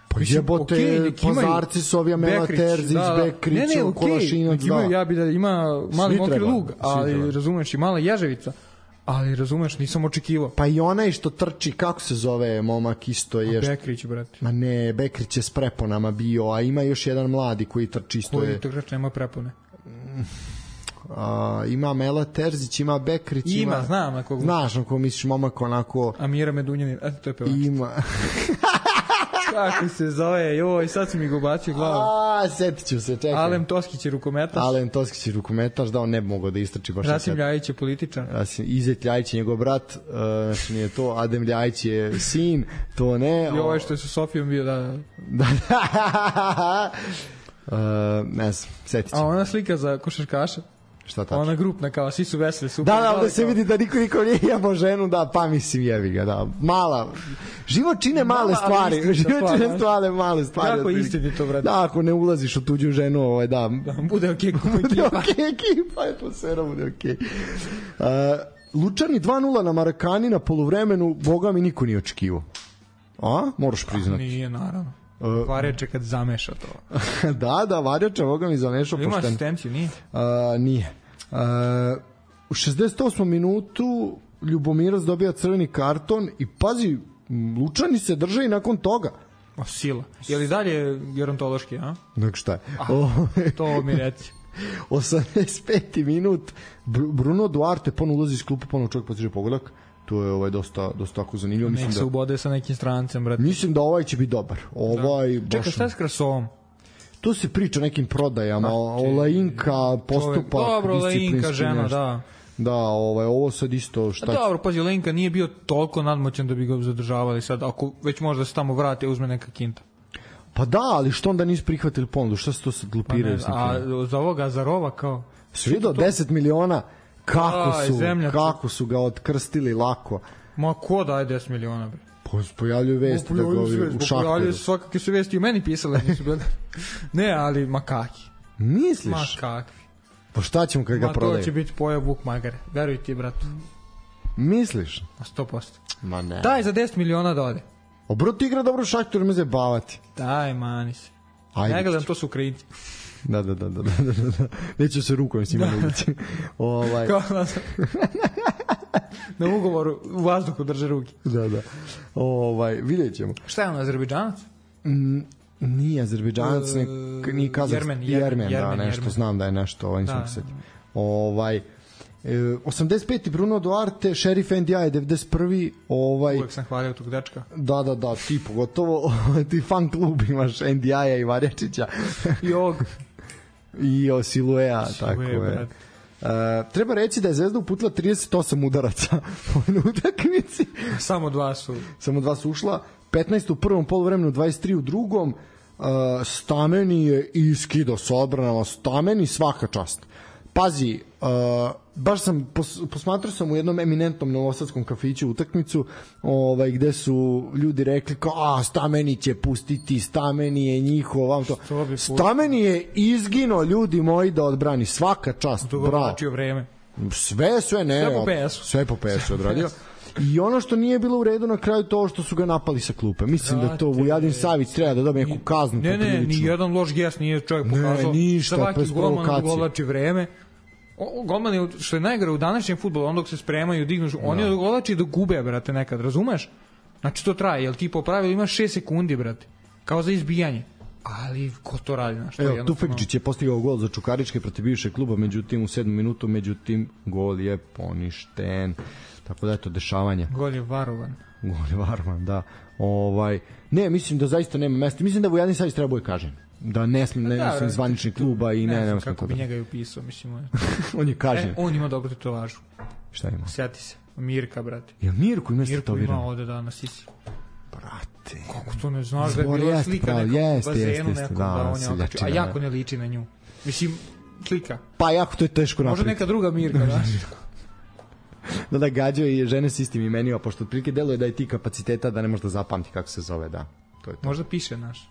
Pa jebote, Pazarci su ovi Amela Terzić, Bekrić, Kolašinac, da. Ja bi da ima mali mokri lug, ali razumeš, i mala Ježevica. Ali razumeš, nisam očekivao. Pa i onaj što trči, kako se zove momak isto je... Bekrić, brate. Ma ne, Bekrić je s preponama bio, a ima još jedan mladi koji trči isto je... Koji trči nema prepone? Ima Mela Terzić, ima Bekrić, ima... Znam na koga. Znaš na koga misliš, momak onako... Amira Medunjanin, to je pevač. Ima... Kako se zove, joj, sad si mi ga ubacio glavu. Setit ću se, čekaj. Alen Toskić je rukometaš. Da, on ne bi mogao da istrči baš. Rasim Ljajić je političar. Izet Ljajić je njegov brat, znači nije to, Adem Ljajić je sin, to ne. I ovaj što je sa Sofijom bio, da. Ne znam, setit ću. A ona slika za košarkaša? Šta tačno? Ona grupna, kao svi su veseli, super. Da, ovde se vidi da niko nije jebao ženu, da, pa mislim jebi ga, da. Mala, život čine male stvari, male stvari. Kako istinito, brate? Da, ako ne ulaziš u tuđu ženu, da. Bude okej, bude okej ekipa, atmosfera bude okej. Lučani 2-0 na Marakani na poluvremenu, boga mi niko nije očekivao. Moraš priznati. Nije, naravno. Varjača kad zameša to. Da, Varjača, boga mi zamešao pošteno. Ima asistenciju, nije? Nije. U 68. minutu Ljubomirovac dobija crveni karton i pazi, Lučani se drže i nakon toga. Sila. Je li dalje gerontološki, a? Nek šta je. To mi reci. 85. minut Bruno Duarte ponovno ulazi iz klupa, ponovno čovjek postiže pogodak. To je dosta tako zanimljivo. Nek se ubode sa nekim strancem, brate. Mislim da ovaj će biti dobar. Čekaj, šta je s Krasovom? Tu se priča o nekim prodajama, Olajinka, postupak, dobro, Olajinka, žena, da. Da, ovo sad isto šta... Dobro, pazi, Lenka nije bio toliko nadmoćan da bi ga zadržavali sad, ako već možda se tamo vrati, uzme neka kinta. Pa da, ali što onda nisu prihvatili ponudu? Šta se to sad glupiraju? Pa a za ovoga, za Rova kao... Si vidio 10 miliona? Kako su ga otkrstili lako. Ma ko daje 10 miliona, bre? Pojavljuju vesti da ga u Šahtaru. Pojavljuju svakakve su vesti, u meni pisale. Ne, ali makaki. Misliš? Makakvi. Pa šta ćemo kad ga prodaje? To će biti pojao Vuk Magare. Veruj ti, bratu. Misliš? 100%. Ma ne. Daj za 10 miliona da ode. Obrot igra dobro u Šahtaru, me zabavati. Daj, mani se. Ajde. Ne gledam, to su Ukrajinci. Da. Neću se rukom s njima nuditi. Kao na ugovoru u vazduhu drže ruke. Da. Vidjet ćemo. Šta je on, Azerbejdžanac? Nije Azerbejdžanac, ni Kazahstan. Jermen, da, nešto, Jermen. Znam da je nešto, nisam se setio. 85. Bruno Duarte, Šerif NDI 91. Uvijek sam hvalio tog dečka. Da, ti pogotovo ti fan klub imaš NDI-a i Varjačića. I ovog. I Siluea, tako je. Treba reći da je Zvezda uputila 38 udaraca na utakmici. Samo dva su ušla. 15 u prvom poluvremenu, 23 u drugom. Stameni je iskido s odbranama. Stameni svaka čast. Pazi, baš sam posmatrao sam u jednom eminentnom novosadskom kafiću utakmicu, gde su ljudi rekli kao Stameni će pustiti, Stameni je njihov, Stameni je izgino, ljudi moji, da odbrani, svaka čast, bravo. Vreme. Sve po PS-u odradio. I ono što nije bilo u redu na kraju, to što su ga napali sa klupe. Mislim da to Vujadin Savić treba da dobije neku kaznu. Ne, ni jedan loš gest nije čovjek pokazao. Svaki golman odgovlači vreme. Golman je, što je najgore u današnjem fudbalu, on dok se spremaju, dignu, oni odgovlači da gube, brate, nekad, razumeš? Znači to traje, jel ti po pravilu imaš 6 sekundi, brate, kao za izbijanje. Ali ko to radi, znaš? Evo, Tufekčić je postigao gol za Čukaričke protiv bivšeg kluba, međutim u 7. minutu, gol je poništen. Tako da je to dešavanje. Gol je varovan, da. Ne, mislim da zaista nema mesta. Mislim da Vujadin Savić treba bude kažen. Da ne smije zvanični kluba i ne znam kako bi njega i upisao, mislim. On je kažen. On ima dobru tetovažu. Šta ima? Sjeti se. Mirka, brate. Jel Mirku ima tetovirano? Mirku ima ovde na sisi. Brate. Kako to ne znaš da je bila slika nekom bazenu nekom da on je okačio. A jako ne liči na nju. Mislim, slika. Pa jako to je teško napraviti. Može neka druga Mirka, znaš. Da gađao i žene s istim imenima, pošto otprilike deluje da je ti kapaciteta da ne možda zapamti kako se zove, da. To je to. Možda piše naš.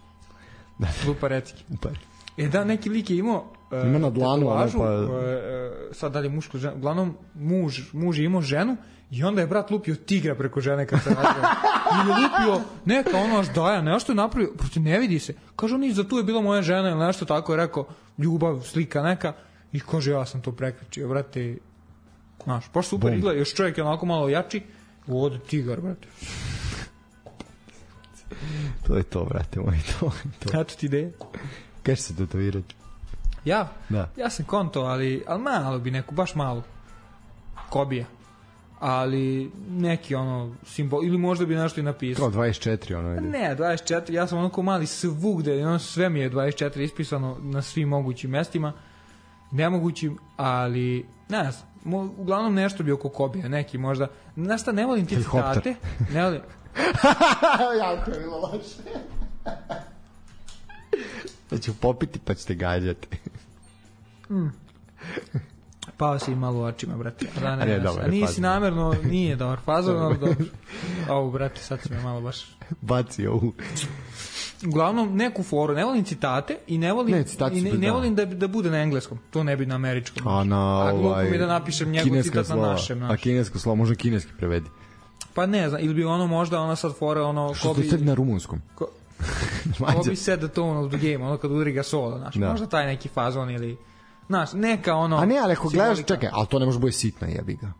Lupa reciki. Da, neki lik je imao ima na dlanu, sad dalje muško ženu, uglavnom muž je imao ženu i onda je brat lupio tigra preko žene kad se razveo. I je lupio neka ono ždaja, nešto je napravio, prosto ne vidi se. Kaže on, za tu je bila moja žena ili nešto tako, je rekao, ljubav, slika neka, i kaže, ja sam to prekričio, brate, znaš, baš super izgleda, još čovjek je onako malo jači, ovdje tigar, brate. To je to, brate moj, to. Eto ti ideje. Kaj će se tetovirati? Ja? Da. Ja sam konto, ali malo bi neku, baš malo. Kobija. Ali neki ono simbol, ili možda bi nešto i napisao. Kao 24 ono ide. Ne, 24, ja sam onako mali svugde, ono sve mi je 24 ispisano na svim mogućim mestima. Nemogućim, ali ne znam, uglavnom nešto bi oko Kobija, neki možda. Znaš šta, ne volim ti citate. Ne volim. Jako je bilo loše. Da ću popiti pa ćete gađati. Pao si malo u očima, brate. A nisi namerno, nije dobar fazon, ali dobro. Ovo, brate, sad si me malo baš... Baci ovu. Uglavnom, neku foru, ne volim citate i ne volim da bude na engleskom. To ne bi na američkom. A glupo mi da napišem njegov citat na našem. A kinesko slovo, možda kineski prevedi. Pa ne znam, ili bi ono možda ona sad fora ono... Što ste sad na rumunskom? Ko bi said the tone of the game, ono kad udri ga solo, znaš, možda taj neki fazon ili... Znaš, neka ono... A ne, ali ako gledaš, čekaj, ali to ne može bude sitno, jebi ga.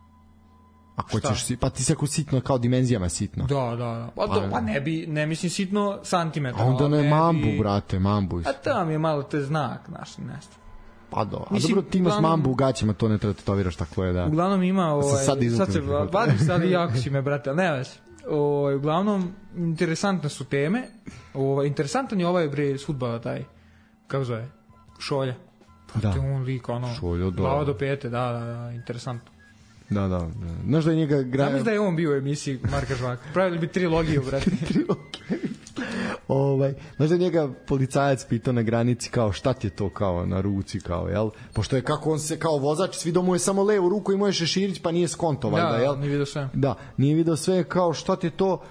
Ako ćeš, pa ti se ako sitno kao dimenzijama sitno. Da. Pa ne mislim sitno santimetra. A onda ne mambu, brate, mambu. A tam je malo te znak, znaš, nešto. Pa do. A dobro, ti imaš mambu u gaćima, to ne treba tetoviraš, tako je, da. Uglavnom ima, sad se vadim, sad i jako si me, brate, ali ne već. Uglavnom, interesantne su teme. Interesantan je ovaj bre s fudbala taj, kako zove, Šolja. Da. On lik, ono, glava do pete, da, interesantno. Da. Znaš da je njega... Znam da je on bio u emisiji Marka Žvaka. Pravili bi trilogiju, brate. Znaš da je njega policajac pitao na granici kao šta ti je to kao na ruci kao, jel? Pošto je kako on se kao vozač, svi mu je samo levu ruku i može šeširić pa nije skonto, valjda, jel? Da, nije vidio sve. Da, nije vidio sve, kao šta ti je to,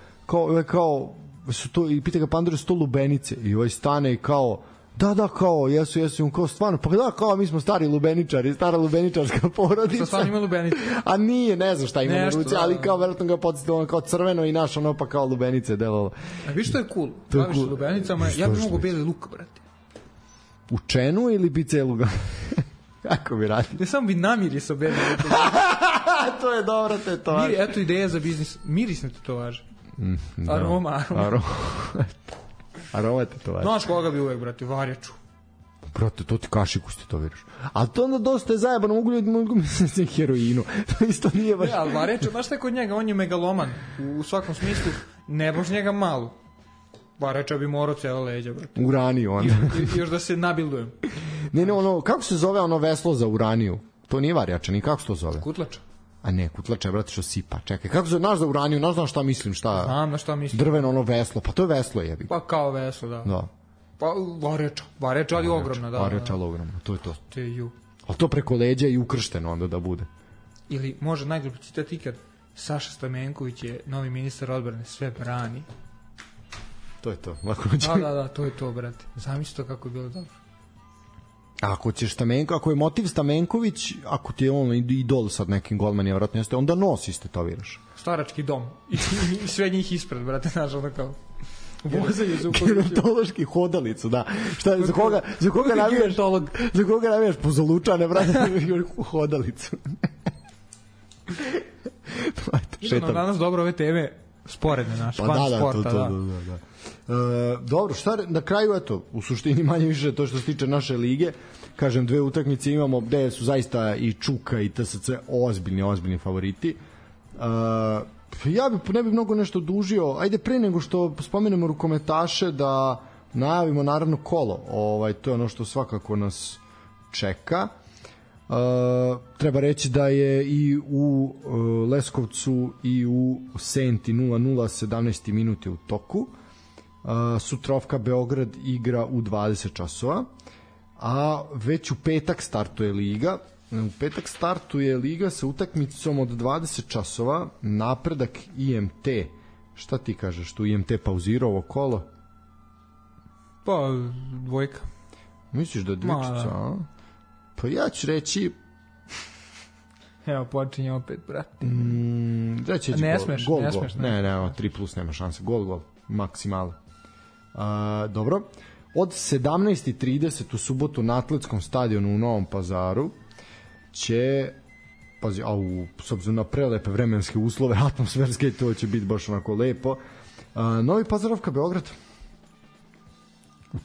kao su to, i pita ga Pandora, su to lubenice, i ovaj stane i kao da, kao, jesu, kao stvarno, pa da, kao, mi smo stari lubeničari, stara lubeničarska porodica. Što stvarno ima lubenice? A nije, ne znam šta ima na ruci, ali kao, verovatno ga podsjetilo, ono, kao crveno i naš, ono, pa kao lubenice delalo. A viš što je cool? Baviš cool. Lubenicama, ja bi mogu beli luk, brate. U čenu ili bi celu ga? Kako bi radio? Ne, samo bi namirisao beli luk. To je dobro tetovaž. Eto ideja za biznis, mirisne tetovaže. Aroma tetovaž. Znaš koga bi uvek, brate, varjaču. Brate, to ti kašiku ste to viriš. A to onda dosta je zajebano, mogu misliti heroinu. To isto nije baš... Ne, ali varjaču, znaš šta je kod njega, on je megaloman. U svakom smislu, ne baš njega malo. Varjača bi morao cijela leđa, brate. Uraniju, onda. I još da se nabildujem. Ne, ono, kako se zove ono veslo za uraniju? To nije varjača, ni kako se to zove? Kutlača. A ne, kutlača je, brate, što sipa. Čekaj, kako se znaš za uraniju? Znaš šta mislim, šta? Znam na šta mislim. Drveno ono veslo, pa to je veslo, jebi. Pa kao veslo, da. Da. Pa varjača, ali ogromna, da. Varjača, ali ogromna, to je to. To je ju. Ali to preko leđa i ukršteno onda da bude. Ili može najglupi citat ikad, Saša Stamenković je novi ministar odbrane, sve brani. To je to. Da, to je to, brate. Zamisli to kako je bilo dobro. Ako ćeš ako je motiv Stamenković, ako ti je on idol sad nekim golmanima, vratno jeste, onda nos istetaviraš. Starački dom. I sve njih ispred, brate, znaš, onda kao... Vozaju Zukovića. Gerontološki hodalicu, da. Šta, za koga navijaš pozolučane, brate, hodalicu. Idemo danas dobro ove teme sporedne naše, van sporta. Da. Dobro, šta na kraju, eto, u suštini manje više to što se tiče naše lige, kažem, dve utakmice imamo gde su zaista i Čuka i TSC ozbiljni favoriti. Ja ne bih mnogo nešto dužio, ajde pre nego što spomenemo rukometaše da najavimo naravno kolo, to je ono što svakako nas čeka. Treba reći da je i u Leskovcu i u Senti 0-0 17 minuti u toku. Sutrovka Beograd igra u 20 časova, a već u petak startuje liga. U petak startuje liga sa utakmicom od 20 časova, Napredak IMT. Šta ti kažeš, tu IMT pauzirao ovo kolo? Pa, dvojka. Misliš da je dvojčica, a? Pa ja ću reći... Evo, počinje opet, brate. Ne smeš. Ne, 3+ nema šanse. Gol, maksimalo. Dobro. Od 17:30 u subotu na Atletskom stadionu u Novom Pazaru će, pazi, s obzirom na prelepe vremenske uslove, atmosferske, to će biti baš onako lepo. Novi Pazarovka Beograd.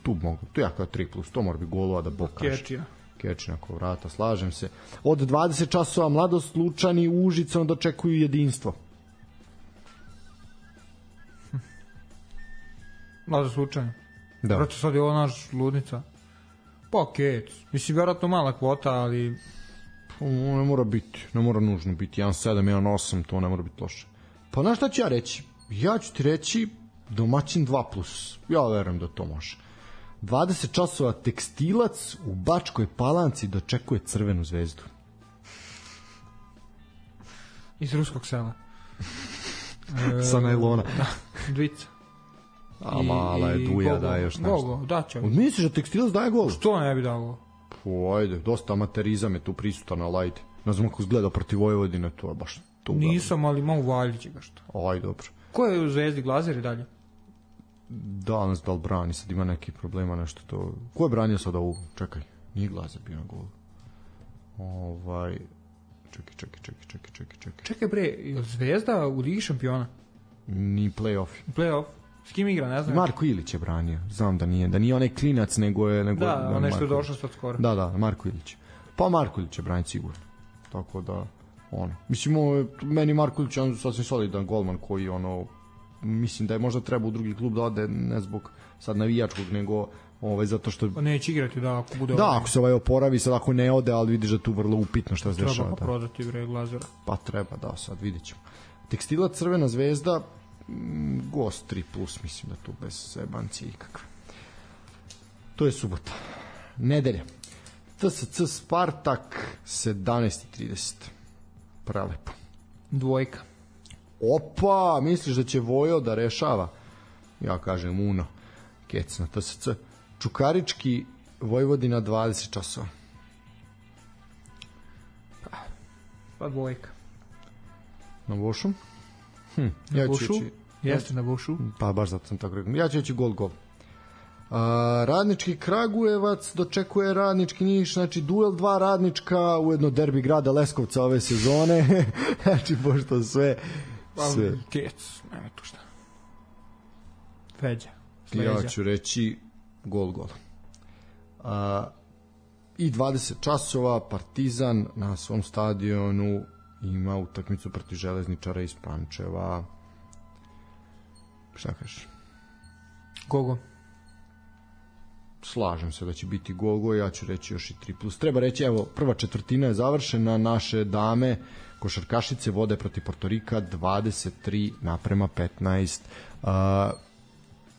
Tu mogu, tu ja kao 3+, to mora biti golova da Bog kaže. Kečija ako vrata, slažem se. Od 20 časova Mladost Lučani u Užicu dočekuju jedinstvo. Mladost Lučani. Da. Vrati, sad je ovo naš ludnica. Pa Kec. Mislim, vjerojatno mala kvota, ali... Ne mora biti, ne mora nužno biti. 1.7, 1.8, to ne mora biti loše. Pa znaš šta ću ja reći? Ja ću ti reći domaćin 2+. Ja verujem da to može. 20 časova Tekstilac u Bačkoj Palanci dočekuje Crvenu zvezdu. Iz ruskog sela. Sa najlona. Da, dvica. A mala je Duja, daje još nešto. Gol, da će. Misliš da Tekstilac daje gol? Što ne bi dao gol? Ajde, dosta amaterizam je tu prisutan, ali ajde. Ne znam ako izgleda protiv Vojvodine, to je baš to. Nisam, ali malo valjić ga što. Ajde, dobro. Ko je u Zvezdi, Glazer i dalje? Da, nas da li brani, sad ima neki problema, nešto to. Ko je branio sad ovu? Čekaj, nije Glazer bio na golu. Čekaj. Čekaj bre, je Zvezda u Ligi šampiona? Ni play-off. Play-off? S kim igra, ne znam. Marko Ilić je branio, znam da nije onaj klinac, nego je... Da, onaj što je došao sad skoro. Da, Marko Ilić. Pa Marko Ilić je branio sigurno. Tako da, mislim, meni Marko Ilić je sasvim solidan golman koji, mislim da je možda treba u drugi klub da ode, ne zbog sad navijačkog, nego zato što... Pa neće igrati, da, ako bude... Da, ako se oporavi, sad ako ne ode, ali vidiš da tu vrlo upitno šta se dešava. Treba prodati Glazera. Pa treba, da, sad vidjet ćemo. Tekstila Crvena zvezda, gost 3+, mislim da tu bez zebancije ikakve. To je subota. Nedelja. TSC Spartak 17:30. Prelepo. Dvojka. Opa, misliš da će Vojo da rešava? Ja kažem Uno. Kec na TSC. Čukarički Vojvodina 20 časova. Pa dvojka. Na Vošu? Na Vošu? Jeste na Vošu. Pa baš zato sam tako rekao. Ja ću reći gol. Radnički Kragujevac dočekuje Radnički Niš, znači duel 2 radnička, ujedno derbi grada Leskovca ove sezone. Znači pošto sve Kec, nema tu šta. Feđa. Ja ću reći gol. I 20 časova Partizan na svom stadionu ima utakmicu protiv Železničara iz Pančeva. Šta kažeš? Gogo. Slažem se da će biti Gogo, ja ću reći još i 3+. Treba reći, evo, prva četvrtina je završena, naše dame košarkašice vode protiv Portorika 23:15.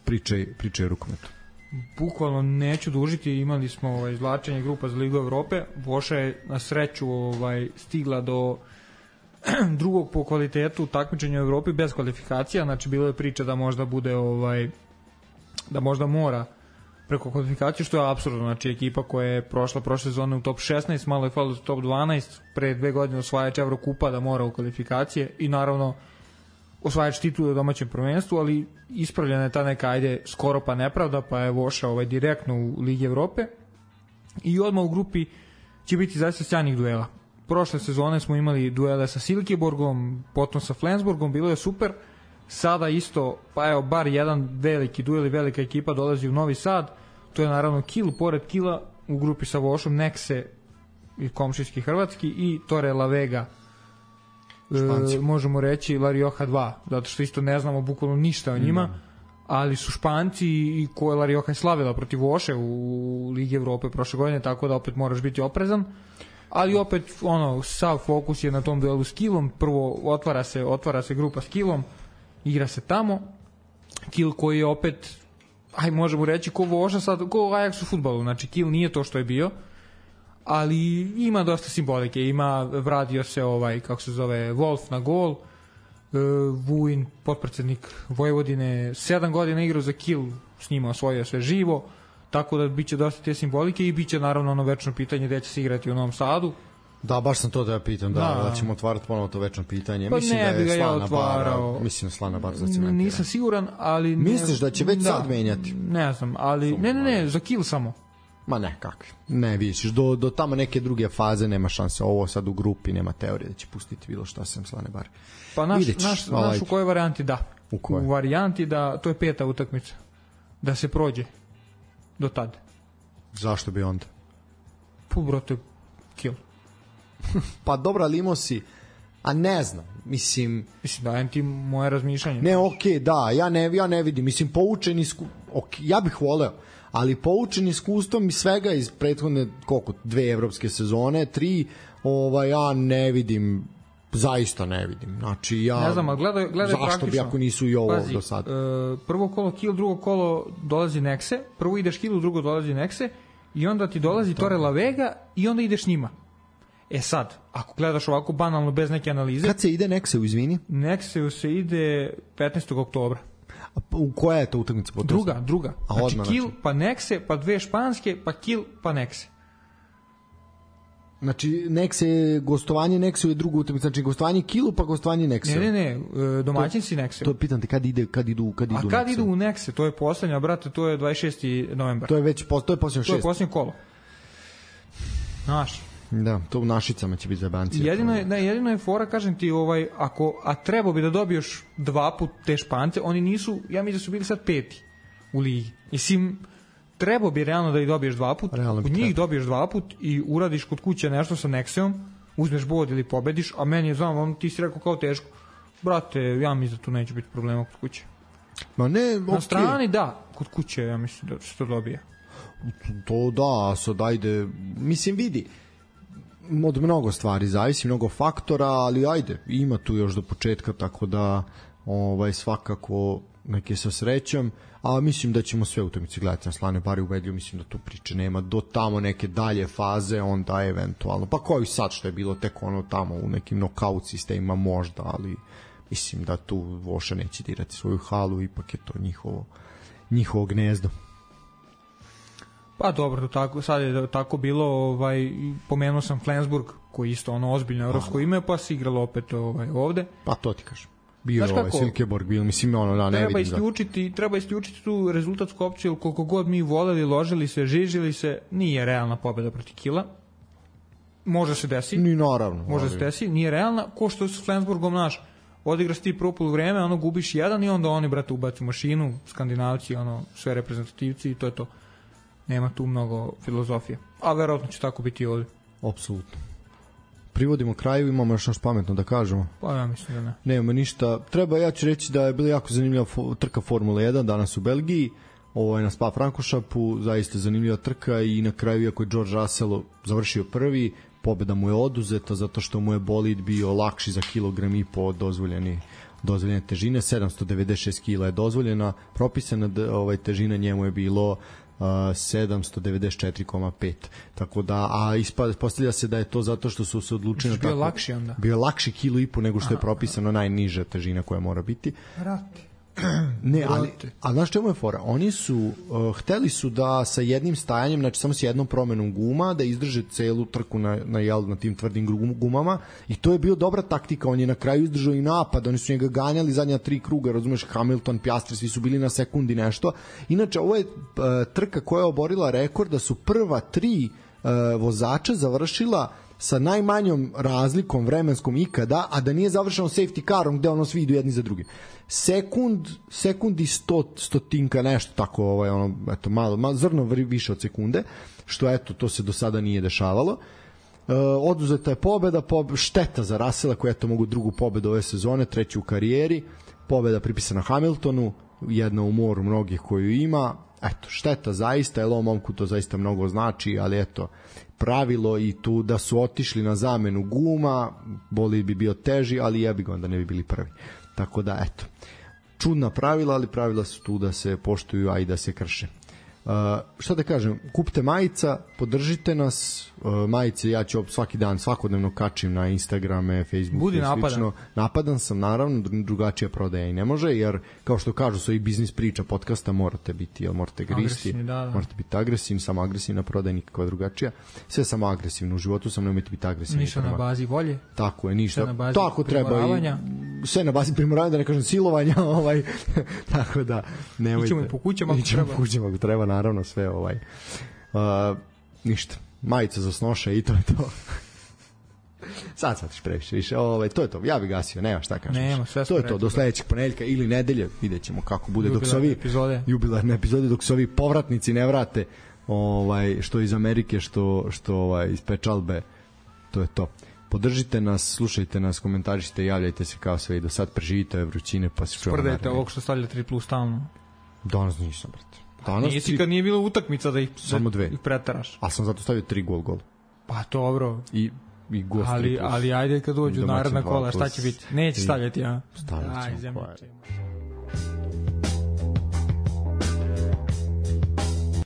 Pričaj o rukometu. Bukvalno neću dužiti, imali smo izvlačenje grupa za Ligu Evrope. Voša je na sreću stigla do drugog po kvalitetu takmičenja u Evropi bez kvalifikacija, znači bilo je priča da možda bude da možda mora preko kvalifikacije, što je apsurdno, znači ekipa koja je prošla prošle sezone u top 16, malo je falilo u top 12, pre 2 godine osvajač Evrokupa da mora u kvalifikacije i naravno osvajač titule u domaćem prvenstvu, ali ispravljena je ta neka, skoro pa nepravda, pa je Voša direktno u Ligi Evrope i odmah u grupi će biti zaista sjajnih duela. Prošle sezone smo imali duele sa Silkeborgom, potom sa Flensburgom, bilo je super. Sada isto, pa evo, bar jedan veliki duel i velika ekipa dolazi u Novi Sad. To je naravno Kiel, pored Kiela u grupi sa Vošom, Nekse i komšijski hrvatski i Torre la Vega, možemo reći La Rioja 2, zato što isto ne znamo bukvalno ništa o njima, ali su Španci i koje La Rioja je slavila protiv Voše u Ligi Evrope prošle godine, tako da opet moraš biti oprezan. Ali opet, sav fokus je na tom duelu s Kielom. Prvo otvara se grupa s Kielom, igra se tamo. Kiel koji je opet, možemo reći, ko Voša sad, ko Ajax u fudbalu. Znači, Kiel nije to što je bio, ali ima dosta simbolike. Vratio se kako se zove, Wolf na gol, Vujin, potpredsednik Vojvodine, 7 godina igrao za Kiel, s njima osvojio sve živo, tako da biće dosta te simbolike i biće naravno ono večno pitanje gde će se igrati u Novom Sadu. Da, baš sam to da ja pitam, da ćemo otvarati ponovo to večno pitanje. Pa mislim ne da bi ga je ja otvarao. Mislim Slana bar zacementirana. Nisam siguran, ali... Misliš da će već sad menjati? Ne znam, ali... Ne, za Kiel samo. Ma ne, kakvi. Ne, vidiš, do tamo neke druge faze nema šanse. Ovo sad u grupi nema teorije da će pustiti bilo šta sem Slane bar. Pa naš u kojoj varijanti da. U varijanti da, to je 5. utakmica. Da se prođe do tad. Zašto bi onda? Brate, Kiel. Pa dobro, ali imao si, a ne znam, mislim dajem ti moje razmišljanje. Ne, okej, da, ja ne vidim, mislim poučen ja bih voleo, ali poučen iskustvom i svega iz prethodne 2 evropske sezone, 3, ja ne vidim, zaista ne vidim. Znači ja ne znam, gledaj zašto praktično. Bi ako nisu i ovo do sad. Prvo kolo Kiel, drugo kolo dolazi Nekse, prvo ideš Kielu, drugo dolazi Nekse i onda ti dolazi Torre la Vega i onda ideš njima. Sad, ako gledaš ovako banalno bez neke analize... Kad se ide Nekseu, izvini? Nekseu se ide 15. oktobra. A koja je to utakmica? Druga. Znači Kiel, pa Nekse, pa 2 španske, pa Kiel, pa Nekse. Znači, gostovanje Nekseu je druga utakmica, znači gostovanje Kielu, pa gostovanje Nekseu. Ne, domaćin si Nekseu. To pitam te, kad idu A kad idu u Nekse? To je poslednja, brate, to je 26. novembar. To je posljednje 6. To je posljednje kolo. Znaš. Da, to u Našicama će biti zabanci. Jedino je fora, kažem ti, a trebao bi da dobiješ 2 put te Špance, oni nisu, ja mislim da su bili sad 5. u ligi. Mislim, trebao bi realno da ih dobiješ 2 put, od njih dobiješ 2 put i uradiš kod kuće nešto sa Nekseom, uzmeš bod ili pobediš, a meni je, znam, ti si rekao kao teško, Brate, ja mislim da tu neće biti problema kod kuće. Ma ne, Na strani da, kod kuće ja mislim da se to dobija. To da, sad ajde, mislim vidi, od mnogo stvari zavisi, mnogo faktora, ali ajde, ima tu još do početka, tako da svakako neke sa srećom, a mislim da ćemo sve utakmice gledati na Slane Bari ubedljivo, mislim da tu priče nema, do tamo neke dalje faze, onda eventualno, pa koji sad što je bilo tek ono tamo u nekim nokaut sistemima možda, ali mislim da tu Voša neće dirati svoju halu, ipak je to njihovo gnezdo. Pa dobro, tako, sad je tako bilo, pomenuo sam Flensburg, koji isto ono ozbiljno evropsko ime, pa se igralo opet ovde. Pa to ti kažem. Bio je Silkeborg, bio, mislim, ne vidim Treba isključiti tu rezultatsku opciju, koliko god mi voleli, ložili se, žižili se, nije realna pobeda protiv Kila. Može se desi. Ni naravno. Može se desi, nije realna. Ko što s Flensburgom naš, odigraš ti prvo poluvreme, ono gubiš jedan i onda oni, brate, ubaci mašinu, Skandinavci, sve reprezentativci i to je to. Nema tu mnogo filozofije. A verovatno će tako biti i ovdje. Apsolutno. Privodimo kraju, imamo još nešto pametno da kažemo? Pa ja mislim da ne. Nemamo ništa. Ja ću reći da je bila jako zanimljiva trka Formule 1 danas u Belgiji. Ovo je na Spa-Frankoršapu, zaista zanimljiva trka i na kraju, iako je George Russell završio prvi, pobeda mu je oduzeta zato što mu je bolid bio lakši za kilogram i po od dozvoljene težine. 796 kila je dozvoljena, propisana težina njemu je bilo 794,5. Tako da, postavlja se da je to zato što su se odlučili na tako. Bio lakši onda. Bio lakši kilo i po nego što je propisano najniža težina koja mora biti. Vrati. Ne, ali znaš čemu je fora? Oni su hteli su da sa jednim stajanjem, znači samo s jednom promenom guma, da izdrže celu trku na tim tvrdim gumama, i to je bio dobra taktika. On je na kraju izdržao i napad, oni su njega ganjali zadnja 3 kruga, razumeš, Hamilton, Piastri, svi su bili na sekundi nešto. Inače, ovo je trka koja je oborila rekord da su prva 3 vozača završila sa najmanjom razlikom vremenskom ikada, a da nije završeno safety carom gde svi idu jedni za drugi. Sekundi stotinka, nešto tako, malo zrno više od sekunde, što to se do sada nije dešavalo. Oduzeta je pobeda, šteta za Russella koji mogu drugu pobedu ove sezone, 3. u karijeri, pobeda pripisana Hamiltonu, jedna u moru mnogih koju ima. Šteta zaista, jer ovom momku to zaista mnogo znači, ali pravilo i tu da su otišli na zamenu guma, bolid bi bio teži, ali jebi ga, onda ne bi bili prvi. Tako da, čudna pravila, ali pravila su tu da se poštuju, a i da se krše. Šta da kažem, kupite majica, podržite nas, majice ja ću svaki dan, svakodnevno kačim na Instagrame, Facebook. Budi napadan. Napadan sam, naravno, drugačija prodaja i ne može, jer kao što kažu svoji biznis priča podcasta, morate biti, morate gristi, morate biti agresivni, samo agresivna prodaja, nikakva drugačija. Sve samo agresivno, u životu sam nemojte biti agresivni. Ništa na bazi volje. Tako je, ništa. Tako treba i sve na bazi primoravanja, da ne kažem silovanja, tako da nemojte. Ićemo i po kućama ako treba, naravno, sve ništa, majica za snoša i to je to. Sad ćeš previše više, to je to, ja bih gasio, nema šta kažeš. To je to, do sledećeg ponedeljka ili nedelje, vidjet ćemo kako bude jubilarne epizode, dok se ovi povratnici ne vrate, što iz Amerike, što iz Pečalbe, to je to. Podržite nas, slušajte nas, komentarišite, javljajte se kao sve i do sad, preživite ove vrućine, pa se čujemo. Sprdajte ovog što stavlja 3+ stalno. Danas nisam, brate. Nisi kad nije bilo utakmica da ih pretaraš. A sam zato stavio 3 gol. Pa dobro. I gost 3+. Ali ajde kad dođu naredna kola, šta će biti? Neće stavljati, ja? Stavljat ćemo.